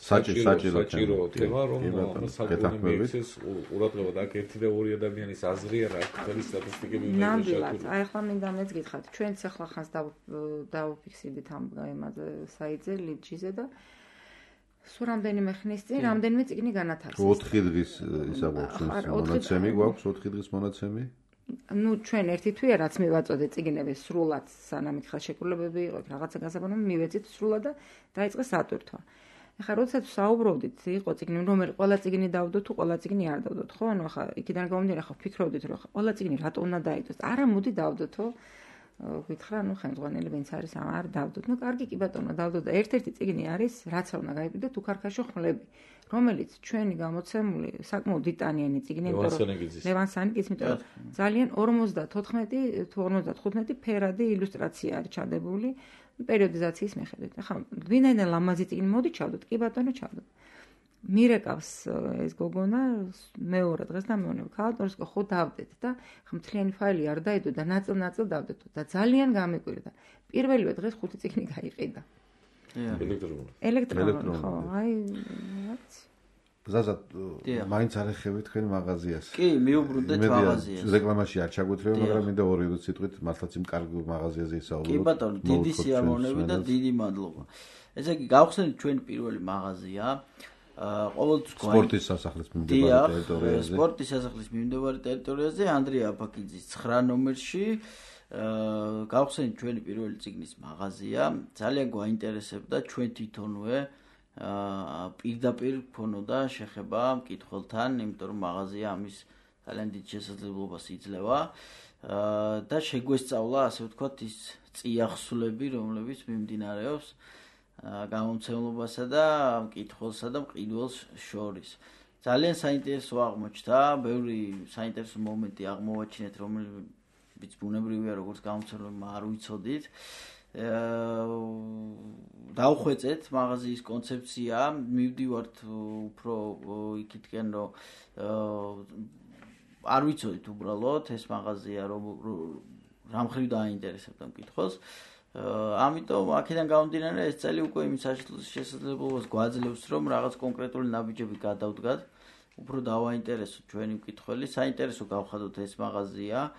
საჭირო თემა, რომ საკუთარი მიეცეს ყურადღება და აქ ერთი და ორი ადამიანის აზრია რა ხელი სტატისტიკები უნდა ნამდვილად. აი ახლა მინდა მეც გითხრათ, ჩვენც ახლა ხანს დავუფიქსირდით ამ იმაზე საიტზე, ლიდჯიზე და სულ რამდენიმე ხნის წინ რამდენიმე წიგნი განათავსეს. 4 დღის ისა გვაქვს მონაცემი, გვაქვს 4 დღის მონაცემი. ნუ ჩვენ ერთი თვეა რაც მივაწოდეთ წიგნები სრულად სანამ ხელშეკრულებები იყო რაღაცა გასაბანო მივეცით სრულად და დაიწყეს სატვირთვა. ეხლა როდესაც საუბრობდით იყო წიგნი რომელი ყველა წიგნი დავდოთ თუ ყველა წიგნი არ დავდოთ ხო ანუ ახლა იქიდან გამომდინარე ხო ფიქრობდით რომ ყველა წიგნი რატო უნდა დაიდოს არა მოდი დავდოთო გითხრა ნუ ხელმძღვანელი ვინც არის არ დავდოთ ნუ კარგი კი ბატონო დავდოთ და ერთ-ერთი წიგნი არის რაც არ უნდა გაიგდეთ უქარქაშო ხმლები რომელიც ჩვენი გამოცემული საკმაოდ დიტანიანი წიგნი ლევან სანიკიძის იმიტომ რომ ძალიან 54 თუ 55 ფერადი ილუსტრაცია არის ჩადებული პერიოდიზაციის მიხედვით. ახლა ვინაიდან ლამაზი წიგნი მოდი ჩავდოთ, კი ბატონო ჩავდოთ. მირეკავს ეს გოგონა მეორე დღეს და მეუბნება ქალბატონს ხო დავდეთ და ხა მთლიანი ფაილი არ დაიდო და ნაწილ-ნაწილ დავდეთ და ძალიან გამიკვირდა. პირველივე დღეს 5 წიგნი გაიყიდა. ელექტრონული. ხო, აი რაც ზაზად მაინც არ ეხები თქვენ მაღაზიას. კი, მიუბრუნდეთ მაღაზიას. რეკლამაში არ ჩაგვეთრევ, მაგრამ მინდა 2 სიტყვით მართლაც იმ კარგ მაღაზიაზე ისაუბროთ. კი ბატონო, დიდი სიამოვნები და დიდი მადლობა. ესე იგი, გავხსენეთ ჩვენი პირველი მაღაზია. ყოველთვის სპორტის სასახლის მიმდებარე ტერიტორიაზე. სპორტის სასახლის მიმდებარე ტერიტორიაზე ანდრია აფაკიძის 9 ნომერში. გავხსენეთ ჩვენი პირველი წიგნის მაღაზია. ძალიან გვაინტერესებდა ჩვენ თვითონვე პირდაპირ გქონოდა შეხება მკითხველთან, იმიტომ რომ მაღაზია ამის ძალიან დიდ შესაძლებლობას იძლევა და შეგვესწავლა, ასე ვთქვათ, ის წიაღსვლები, რომლებიც მიმდინარეობს გამომცემლებასა და მკითხველსა და მყიდველს შორის. ძალიან საინტერესო აღმოჩნდა, ბევრი საინტერესო მომენტი აღმოვაჩინეთ, რომელიც ბუნებრივია, როგორც გამომცემლებმა არ ვიცოდით. დავხვეწეთ მაღაზიის კონცეფცია, მივდივართ უფრო იქითკენ, რომ არ ვიცოდით უბრალოდ ეს მაღაზია რა მხრივ დააინტერესებდა მკითხველს. ამიტომ აქედან გამომდინარე ეს წელი უკვე იმ შესაძლებლობას გვაძლევს, რომ რაღაც კონკრეტული ნაბიჯები გადავდგათ, უფრო დავაინტერესოთ ჩვენი მკითხველი, საინტერესო გავხადოთ ეს მაღაზია.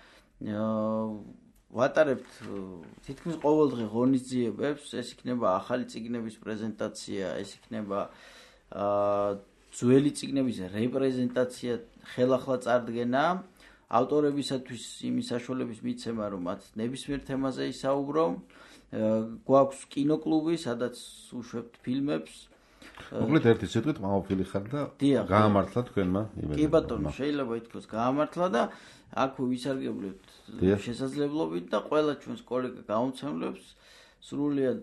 ვატარებთ თითქმის ყოველ დღე ღონისძიებებს, ეს იქნება ახალი წიგნების პრეზენტაცია, ეს იქნება ძველი წიგნების რეპრეზენტაცია, ხელახლა წარდგენა, ავტორებისათვის იმის საშუალების მიცემა, რომ მათ ნებისმიერ თემაზე ისაუბრო. გვაქვს კინოკლუბი, სადაც უშვებთ ფილმებს. მოკლედ ერთი სიტყვით მამაფილი ხარ და გაამართლა თქვენმა იმედმა. კი ბატონო, შეიძლება ითქვას გაამართლა და აქვე ვისარგებლეთ შესაძლებლობით და ყველა ჩვენს კოლეგა გამომცემლებს სრულიად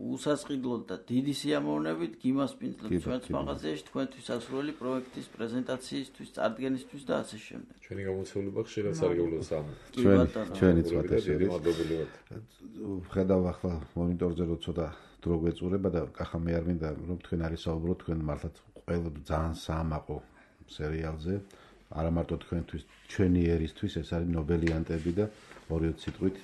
უსასყიდლოდ და დიდი სიამოვნებით გიმასპინძლებ ჩვენს მაღაზიაში თქვენთვის ასრული პროექტის პრეზენტაციისთვის, წარდგენისთვის და ასე შემდეგ. ჩვენი გამოცემლობა ხშირად სარგებლობს ამ. ჩვენიც ვატაშერით. ხედავ ახლა მონიტორზე რომ ცოტა დრო გვეწურება და კახა მე არ მინდა რომ თქვენ არის საუბრობთ თქვენ მართლაც ყველა ძალიან საამაყო სერიალზე. არა მარტო თქვენთვის, ჩვენი ერისთვის ეს არის ნობელიანტები და 2 სიტყვით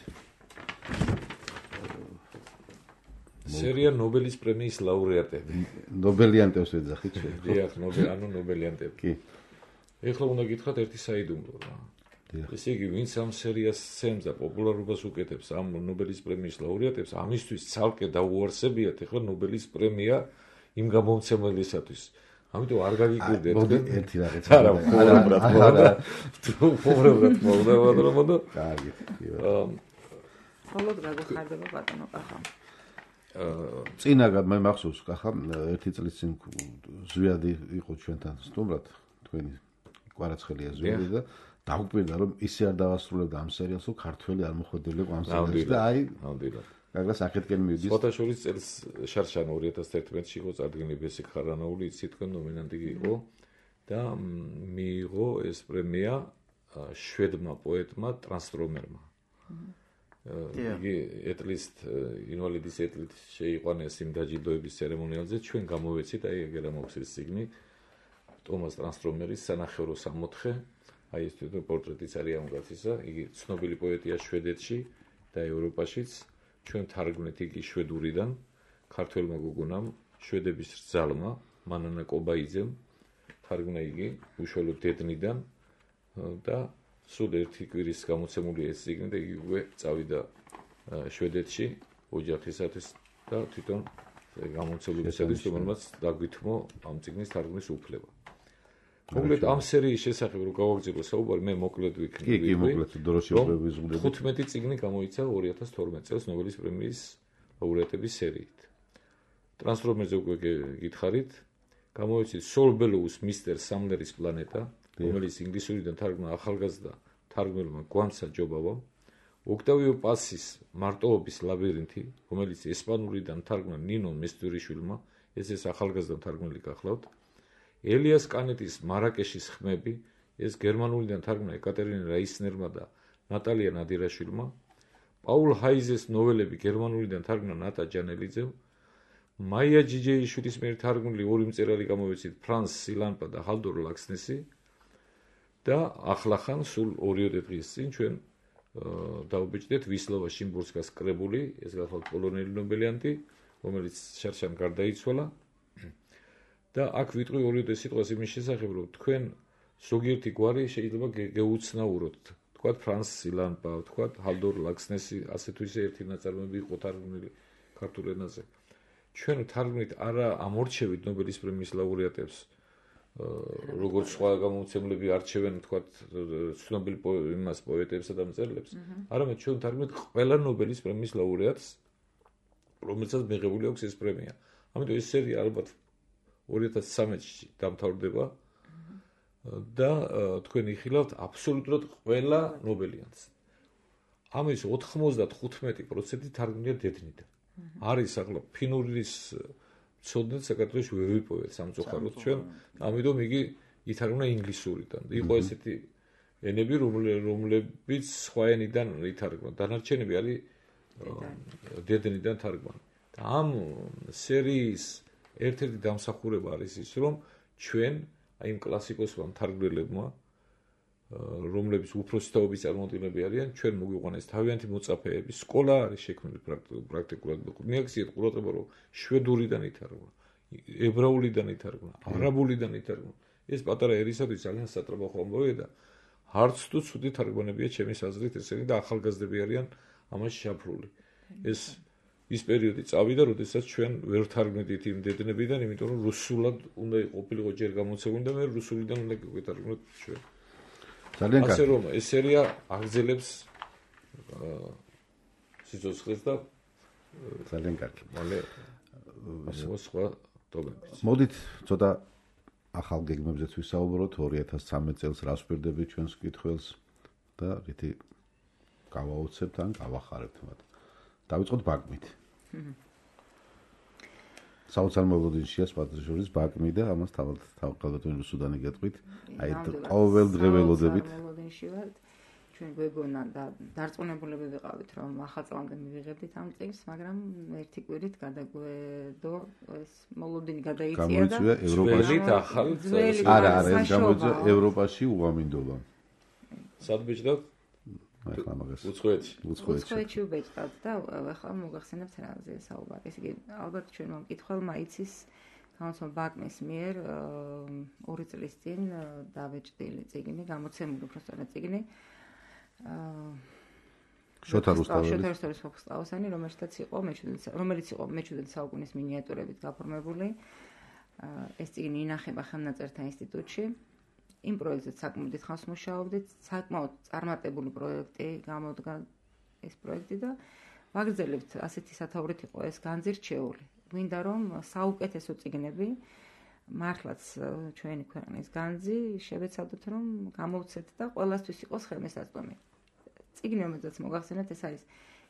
სერია ნობელის პრემიის ლაურეატები. ნობელიანტებს ვეძახით ჩვენ. დიახ, ნობელიანტები. კი. ეხლა უნდა გითხრათ ერთი საიდუმლო რა. ესე იგი, ვინც ამ სერიას სცემს და პოპულარობას უკეთებს ამ ნობელის პრემიის ლაურეატებს, ამისთვის ცალკე დაუარსებიათ ეხლა ნობელის პრემია იმ გამომცემლისათვის. ამიტომ არ გაგიკვირდეთ. მოდი ერთი რაღაც. არა, პობრად მოვდა. კარგი. ხოლოდ გაგხარდება ბატონო კახა. წინაგად მე მახსოვს კახა ერთი წლის წინ ზვიადი იყო ჩვენთან სტუმრად, თქვენი კვარაცხელია ზვიადი და დაგვკვირდა რომ ისე არ დავასრულებდა ამ სერიალს, რომ ქართველი არ მოხვედრილიყო ამ სერიალში და აი ნამდვილად. გაგას აქეთკენ მივიდეს. ფოტოშორის წელს შარშან 2011-ში იყო წარდგენილი ბესიკ ხარანაული, იცით თქვენ ნომინანტი იყო და მიიღო ეს პრემია შვედმა პოეტმა ტრანსტრომერმა. იგი ეტლისტ ინვალიდის ეტლით შეიყვანეს იმ დაჯილდოების ცერემონიალზე, ჩვენ გამოვეცით აი ეგერა მოხსის წიგნი ტომას ტრანსტრომერის სანახევრო 64, აი ეს თვითონ პორტრეტიც არის ამ კაცისა, იგი ცნობილი პოეტია შვედეთში და ევროპაშიც. ჩვენ თარგმნით იგი შვედურიდან ქართველმა გოგონამ, შვედების რძალმა, მანანა კობაიძემ თარგმნა იგი უშუალოდ დედნიდან და სულ ერთი კვირის გამოცემული ეს წიგნი და იგივე წავიდა შვედეთში ოჯახისათვის და თვითონ გამოცემლებისათვის, რომელმაც დაგვითმო ამ წიგნის თარგმნის უფლება. მოკლედ ამ სერიის შესახებ რო გავაგზავნო საუბარი, მე მოკლედ ვიქნები. კი, მოკლედ დროში უბრალოდ ვიზღუდები. 15 წიგნი გამოიცა 2012 წელს ნობელის პრემიის ლაურეატების სერიით. ტრანსფორმერზე უკვე გითხარით, გამოიცით სოლ ბელოუს მისტერ სამლერის პლანეტა, რომელიც ინგლისურიდან თარგმნა ახალგაზრდა თარგმნელმა გვამსა ჯობავამ, ოქტავიო პასის მარტოობის ლაბირინთი, რომელიც ესპანურიდან თარგმნა ნინო მესტურიშვილმა, ეს ახალგაზრდა თარგმნელი გახლავთ, ელიას კანეტის მარაკეშის ხმები, ეს გერმანულიდან თარგმნა ეკატერინა რაისნერმა და ნატალია ნადირაშვილმა, პაულ ჰაიზეს ნოველები გერმანულიდან თარგმნა ნატა ჯანელიძემ, მაია ჯიჯეიშვილის მიერ თარგმნილი ორი მწერალი გამოიცით ფრანს სილანპა და ჰალდორ ლაქსნესი და ახლახან სულ 2 დღის წინ ჩვენ დავბეჭდეთ ვისლავა შიმბურსკას კრებული, ეს გახლავთ პოლონელი ნობელიანტი, რომელიც შარშან გარდაიცვალა და აქ ვიტყვი 2 სიტყვას იმის შესახებ, რომ თქვენ ზოგიერთი გვარი შეიძლება გეუცნაუროთ, თქვათ ფრანს სილანპა, თქვათ ჰალდორ ლაქსნესი, ასე თუ ისე ერთი ნაწარმოები იყო თარგმნილი ქართულ ენაზე. ჩვენ თარგმნით არა ამორჩევით ნობელის პრემიის ლაურეატებს, როგორც სხვა გამომცემლები არჩევენ, თქვათ, ცნობილ იმას პოეტებსა და მწერლებს, არამედ ჩვენ თარგმნით ყველა ნობელის პრემიის ლაურეატს, რომელსაც მიღებული აქვს ეს პრემია. ამიტომ ეს სერია ალბათ 2013-ში დამთავრდება და თქვენ იხილავთ აბსოლუტურად ყველა ნობელიანტს. ამის 95% თარგმნია დედნიდან. არის ახლა ფინურის ცოდნით საქართველოში ვერ ვიპოვეთ სამწუხაროდ ჩვენ, ამიტომ იგი ითარგმნა ინგლისურიდან. იყო ესეთი ენები, რომლებიც სხვა ენიდან ითარგმნა. დანარჩენები არის დედნიდან თარგმანი. და ამ სერიის ერთ-ერთი დამსახურება არის ის, რომ ჩვენ აი იმ კლასიკოსმა მთარგმნელებმა, რომლებიც უფროსი თაობის წარმომადგენლები არიან, ჩვენ მოგვიყვანეს თავიანთი მოწაფეები, სკოლა არის შექმნილი პრაქტიკულად. მიაქციეთ ყურადღება, რომ შვედურიდან ითარგმნა, ებრაულიდან ითარგმნა, არაბულიდან ითარგმნა. ეს პატარა ერისათვის ძალიან სატრაბახო ამბავია და არც თუ ცუდი თარგმანებია ჩემის აზრით ესენი და ახალგაზრდები არიან ამაში ჩაფრული. ის პერიოდი წავიდა, როდესაც ჩვენ ვერ თარგმნით იმ დედნებიდან, იმიტომ რომ რუსულად უნდა ყოფილიყო ჯერ გამოცემული და მე რუსულიდან უნდა გვეთარგმნოთ ჩვენ. ძალიან კარგი. ასე რომ ეს სერია აგრძელებს სიცოცხლეს და ძალიან კარგი. მალე სხვა ტომებიც. მოდით ცოტა ახალ გეგმებზეც ვისაუბროთ 2013 წელს რას ვფერდებით ჩვენს კითხვებს და რითი გავაოცებთ ან გავახარებთ მათ. დავიწყოთ ბაკმით. საოცარ მოლოდინშია სპარტაშორის ბაკმი და ამას თავკალდატონი რუსუდანი გეტყვით. აი ყოველდღიველოდებით. მოლოდინში ვართ. ჩვენ გვეგონა და დარწმუნებულები ვიყავით, რომ ახალ წლამდე მივიღებდით ამ წიგნს, მაგრამ ერთი კვირით გადაგვედო ეს მოლოდინი გადაიწია და გამოიწვია ევროპაში ახალი არა, ეს გამოიწვია ევროპაში უამინდობა. სად ბეჭდავთ? ახლა მაგას უცხოეთში ვბეჭდავთ და ახლა მოგახსენებთ რაზე საუბარი. ესე იგი, ალბათ ჩვენ მომკითხველმა იცის გამოცემა ბაკმის მიერ 2 წლის წინ დავეჭდილი წიგნი, გამოცემული უბრალოდ წიგნი. შოთა რუსთაველის ფოქსტაუსანი, რომელიც იყო მე-17 საუკუნის მინიატურებით გაფორმებული. ეს წიგნი ინახება ხელნაწერთა ინსტიტუტში. იმ პროექტზე საკმაოდ ხანს მუშაობდით, საკმაოდ წარმატებული პროექტი გამოდგა ეს პროექტი და ვაგრძელებთ ასეთი სათაურით იყო ეს განზირჩეული. გვინდა რომ საუკეთესო წიგნები მართლაც ჩვენი ქვეყნის განძი შევეცადოთ რომ გამოვცეთ და ყველასთვის იყოს ხელმისაწვდომი. წიგნი რომელზეც მოგახსენებთ ეს არის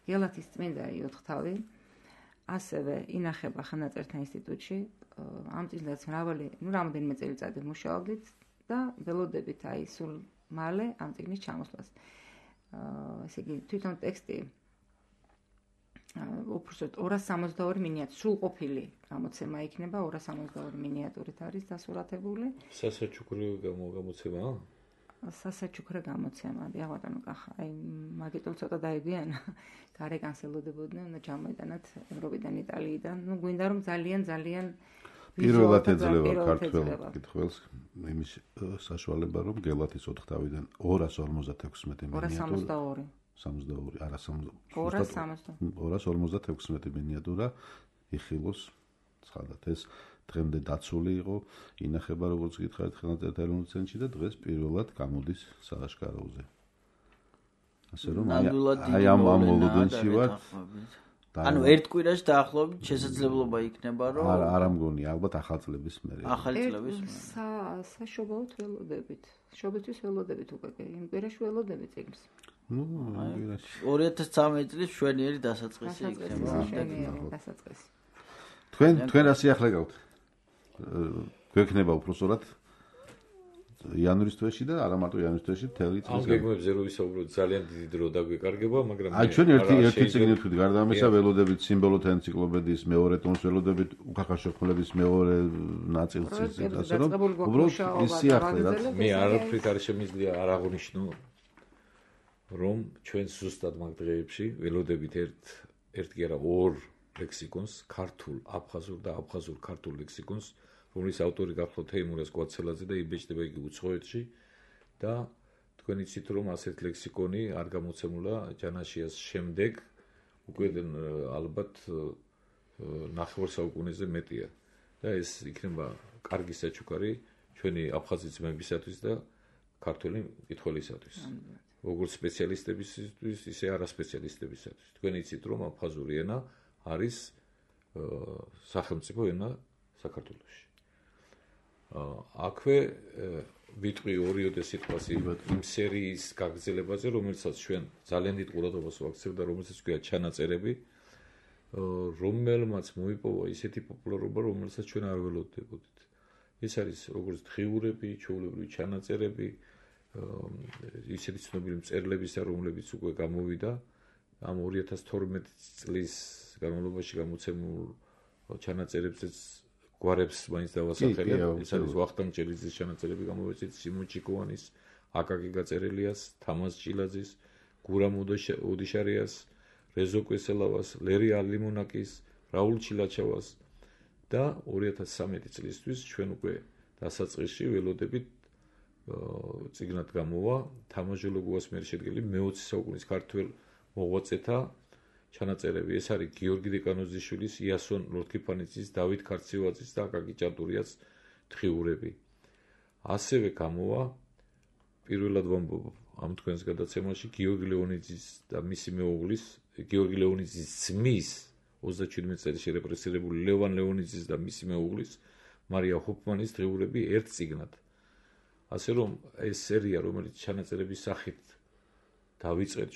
გელათის წმინდა იოთხთავი. ასევე ინახება ხელნაწერთა ინსტიტუტში. ამ წიგნზეც რამდენიმე წელიწადი მუშაობდით და ველოდებით აი სულ მალე ამ წიგნის ჩამოსვლას. ესე იგი თვითონ ტექსტი უბრალოდ 262 მინიატური სრულყოფილი გამოცემა იქნება, 262 მინიატურით არის დასურათებული. სასაჩუქრე გამოცემაა? სასაჩუქრე გამოცემა, დიახ ბატონო კახა, აი მაგიტო ცოტა დაიგიანა. გარეკანს ელოდებოდნენ, უნდა ჩამოიტანათ ევროპიდან, იტალიიდან. ნუ გვინდა რომ ძალიან პირველად ეძლევა ქართველ კითხვებს იმის საშუალება რომ გელათის ოთხთავიდან 256 მინიატურა 62 არა 256 მინიატურა იხილოს ცხადად ეს დღემდე დაცული იყო, ინახება როგორც გითხარით ხელნაწერთა ეროვნულ ცენტრში და დღეს პირველად გამოდის სააშკაროზე. ასე რომ აი ამ მოლოდინში ვარ. ანუ ერთ კვირაში დაახლოებით შესაძლებლობა იქნება რომ არ მგონი ალბათ ახალ წლების მერე. ახალი წლების მერე. საშობაოდ ველოდებით. შობისთვის ველოდებით უკვე იმ კვირაში ველოდებით წიგნს. ნუ კვირაში 2013 წლის შვენიერი დასაწყისი იქნება. დასაწყისი. თქვენ რა სიახლე გაქვთ? გვექნება უпроსორად იანვრის თვეში და არა მარტო იანვრის თვეში მთელი წელი. ამ გეგმებზე რო ვისაუბროთ ძალიან დიდი დრო დაგვეკარგება, მაგრამ აი ჩვენ ერთი წიგნი ვთქვით, გარდა ამისა ველოდებით სიმბოლოთა ენციკლოპედიის მეორე ტომს, ველოდებით უხახაშო ხმლების მეორე ნაწილს, ასე რომ უბრალოდ ის სიახლე რაც მე არაფრით არ შემიძლია არ აღვნიშნო რომ ჩვენ ზუსტად მაგ დღეებში ველოდებით ერთ კი არა ორ ლექსიკონს, ქართულ, აფხაზურ და აფხაზურ-ქართულ ლექსიკონს, რომლის ავტორი გახლავთ თეიმურაზ კვაცელაძე და იბეჭდება იგი უცხოეთში და თქვენ იცით რომ ასეთ ლექსიკონი არ გამოცემულა ჯანაშიას შემდეგ უკვე ალბათ 9 საუკუნეზე მეტია და ეს იქნება კარგი საჩუქარი ჩვენი აფხაზი ძმებისათვის და ქართველი მკითხველისათვის. როგორც სპეციალისტებისთვის, ისე არასპეციალისტებისათვის. თქვენ იცით რომ აფხაზური ენა არის სახელმწიფო ენა საქართველოში. აქვე ვიტყვი ორიოდე სიტყვას იმ სერიის გაგრძელებაზე, რომელსაც ჩვენ ძალიან დიდ ყურადღებას ვაქცევთ და რომელსაც ქვია ჩანაწერები, რომელმაც მოიპოვა ისეთი პოპულარობა, რომელსაც ჩვენ არ ველოდებოდით. ეს არის როგორც დღიურები, ჩვეულებრივი ჩანაწერები, ისეთი ცნობილი მწერლებისა, რომლებიც უკვე გამოვიდა ამ 2012 წლის განმავლობაში გამოცემულ ჩანაწერებზეც გვარებს მაინც დავასახელებ. ეს არის ვახტანგ ჭელიძის ჩანაწერები გამოვეცეთ, სიმონ ჩიკოვანის, აკაკი გაწერელიას, თამაზ ჭილაძის, გურამ ოდიშარიას, რეზო კვესელავას, ლერი ალიმონაკის, რაულ ჩილაჩავას და 2013 წლისთვის ჩვენ უკვე დასაწყისში ველოდებით წიგნად გამოვა თამაჟოლო გუასმერი შედგენილი მე-20 საუკუნის ქართველ მოღვაწეთა ჩანაწერები. ეს არის გიორგი დეკანოზიშვილის, იასონ ლორთქიფანიძის, დავით ქარციევაძის და აკაკი ჭანტურიას დღიურები. ასევე გამოვა პირველად ვამბობ ამ თქვენს გადაცემაში გიორგი ლეონიძის და მისი მეუღლის, გიორგი ლეონიძის ძმის 37 წელი შერეპრესირებული ლევან ლეონიძის და მისი მეუღლის, მარია ჰოფმანის დღიურები ერთ წიგნად. ასე რომ ეს სერია, რომელიც ჩანაწერების სახით დავიწყეთ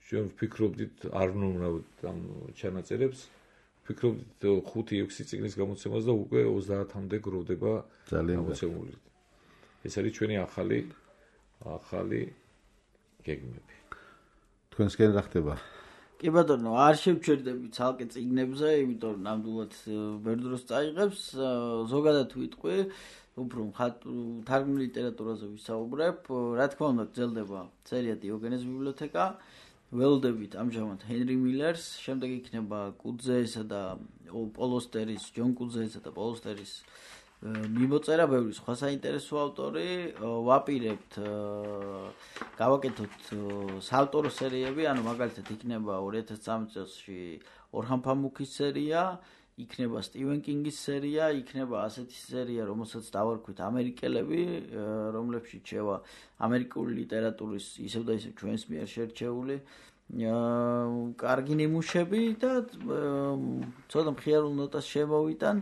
ჩვენ ვფიქრობდით არ ვნუვნავთ ამ ჩანაწერებს, ვფიქრობდით 5-6 წიგნის გამოცემას და უკვე 30-მდე გროვდება გამოცემული. ეს არის ჩვენი ახალი გეგმები. თქვენსკენ რა ხდება? კი ბატონო, არ შევჩერდები ცალკე წიგნებზე, იმიტომ რომ ნამდვილად ბევრ დროს წაიღებს, ზოგადად ვიტყვი, უფრო თარგმნილ ლიტერატურაზე ვისაუბრებ. რა თქმა უნდა, გრძელდება სერია დიოგენეს ბიბლიოთეკა. ველოდებით ამჟამად ჰენრი მილერს, შემდეგ იქნება კუძეესა და პოლოსტერის, ჯონ კუძეესა და პოლოსტერის მიმოწერა, ბევრი სხვა საინტერესო ავტორი. ვაპირებთ გავაკეთოთ საავტორო სერიები, ანუ მაგალითად იქნება 2013 წელსში ორჰან ფამუქის სერია, იქნება სტივენ კინგის სერია, იქნება ასეთი სერია, რომელსაც დავარქვით ამერიკელები, რომლებშიც შევა ამერიკული ლიტერატურის ისევ და ისევ ჩვენს მიერ შერჩეული კარგი ნიმუშები და ცოტა მხიარულ ნოტას შემოვიტან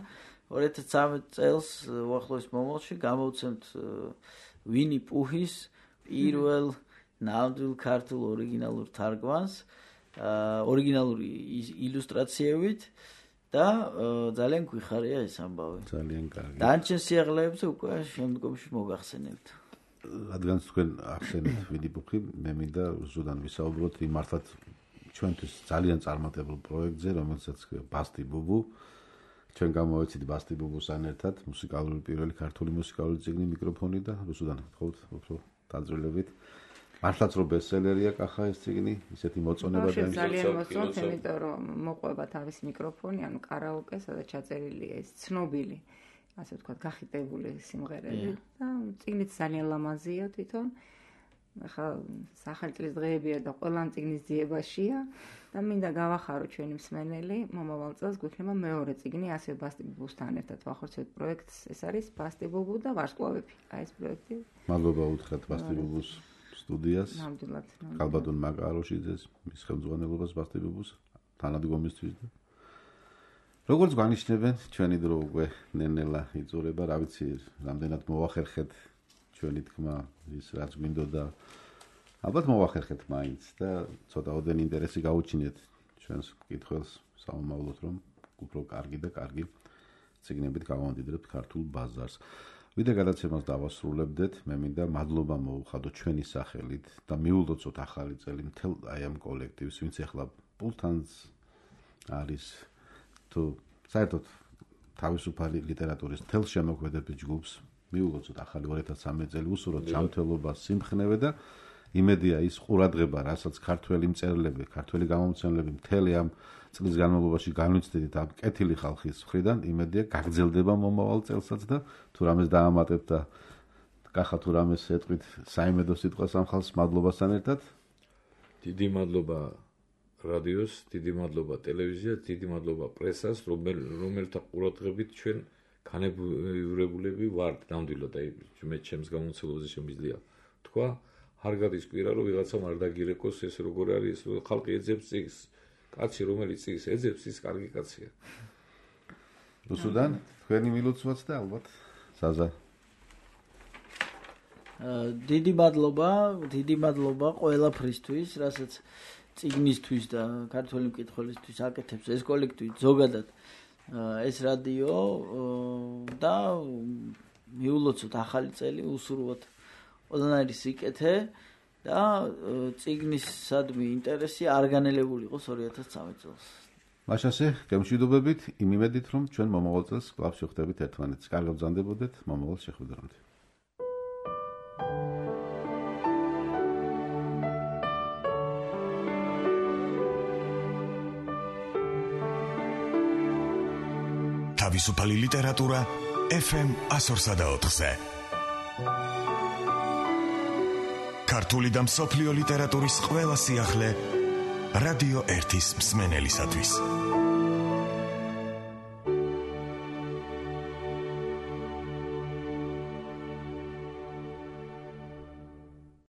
2013 წელს უახლოეს მომავალში გამოვცემთ ვინი პუჰის პირველ ნამდვილ ქართულ ორიგინალურ თარგმანს, ორიგინალური illustrაციებით და ძალიან გვიხარია ეს ამბავი. ძალიან კარგი. დანარჩენ სიაღლეებზე უკვე შემდგომში მოგახსენებთ. რადგან თქვენ ახსენეთ ვინი პუჰი, მე მინდა ზუსტად ვისაუბროთ იმ მართლაც ჩვენთვის ძალიან წარმატებულ პროექტზე, რომელსაც ქვია ბასტი ბუბუ. ჩვენ გამოვეცით ბასტი ბუბუსთან ერთად მუსიკალური პირველი ქართული მუსიკალური წიგნი მიკროფონი და ზუსტად გთხოვთ უფრო დაძრილებით. მართლაც რომ ბესტსელერია კახა ეს წიგნი, ისეთი მოწონება და ძალიან მოსწონთ, იმიტომ რომ მოყვება თავის მიკროფონი, ანუ კარაოკე, სადაც ჩაწერილია ეს ცნობილი, ასე ვთქვათ, გახიტებული სიმღერები და წიგნიც ძალიან ლამაზია თვითონ. ახლა სახელმწიფოს დღეებია და ყველა წიგნის ძიებაშია და მინდა გავახარო ჩვენი მსმენელი, მომავალ წელს გვექნება მეორე წიგნი ასე ბასტი ბუბუსთან ერთად ვახორციელებთ პროექტს, ეს არის ბასტი ბუბუ და ვარსკვლავები. აი ეს პროექტი. მადლობა უთხრათ ბასტი ბუბუს სტუდიას. ნამდვილად. კალბატონ მაკაროშიძეს, მის ხელმძღვანელობას ბასტი ბუბუს თანადგომისთვის და როგორც გვანიშნებენ, ჩვენი დრო უკვე ნენელა იწურება, რა ვიცი, რამდენად მოახერხეთ ჩვენი თქმა ის რაც გვინდოდა. ალბათ მოახერხეთ მაინც და ცოტა ოდენ ინტერესი გაუჩინეთ ჩვენს კითხველს, სამომავლოდ რომ უფრო კარგი და კარგი ციგნებით გავამდიდრებთ ქართულ ბაზარს. ვიდრე გადაცემას დავასრულებდეთ, მე მინდა მადლობა მოუხადო ჩვენი სახელით და მიულოცოთ ახალი წელი მთელ აი ამ კოლექტივს, ვინც ახლა პულთანს არის თუ საერთოდ თავისუფალი ლიტერატურის მთელ შემოქმედების ჯგუფს მიულოცოთ ახალი 2013 წელი, უსურვოთ ჯანმრთელობა, სიმხნევე და იმედია ის ყურადღება, რასაც ქართველი მწერლები, ქართველი გამომცემლები მთელი ამ წლის განმავლობაში განვიცდით ამ კეთილი ხალხის მხრიდან, იმედია გაგრძელდება მომავალ წელსაც და თუ რამეს დაამატებთ და კახა თუ რამეს ეტყვით საიმედო სიტყვას ამ ხალხს მადლობასთან ერთად. დიდი მადლობა რადიოს, დიდი მადლობა ტელევიზიას, დიდი მადლობა პრესას, რომელთა ყურადღებით ჩვენ განებურებულები ვართ ნამდვილად. აი მე ჩემს გამომცემლობაზე შემიძლია თქვა, არ გადის კვირა რომ ვიღაცამ არ დაგირეკოს ეს როგორ არის, ხალხი ეძებს წიგნს. კაცი რომელიც წიგნს ეძებს, ის კარგი კაცია. რუსუდან, თქვენი მილოცვაც და ალბათ საზა. დიდი მადლობა ყველაფრისთვის, რასაც წიგნისთვის და ქართველი მკითხველისთვის აკეთებს ეს კოლექტივი ზოგადად ეს რადიო და მიულოცოთ ახალი წელი, უსურვოთ ყველანაირი სიკეთე და წიგნისადმი ინტერესი არ განელებული იყოს 2013 წელს. მაშასე, გემშვიდობებით, იმ იმედით, რომ ჩვენ მომავალ წელს კვლავ შევხვდებით ერთმანეთს. კარგად ბრძანდებოდეთ მომავალ შეხვედრამდე. თავისუფალი ლიტერატურა FM 104-ზე. ქართული და მსოფლიო ლიტერატურის ყველა სიახლე რადიო 1-ის მსმენელისათვის.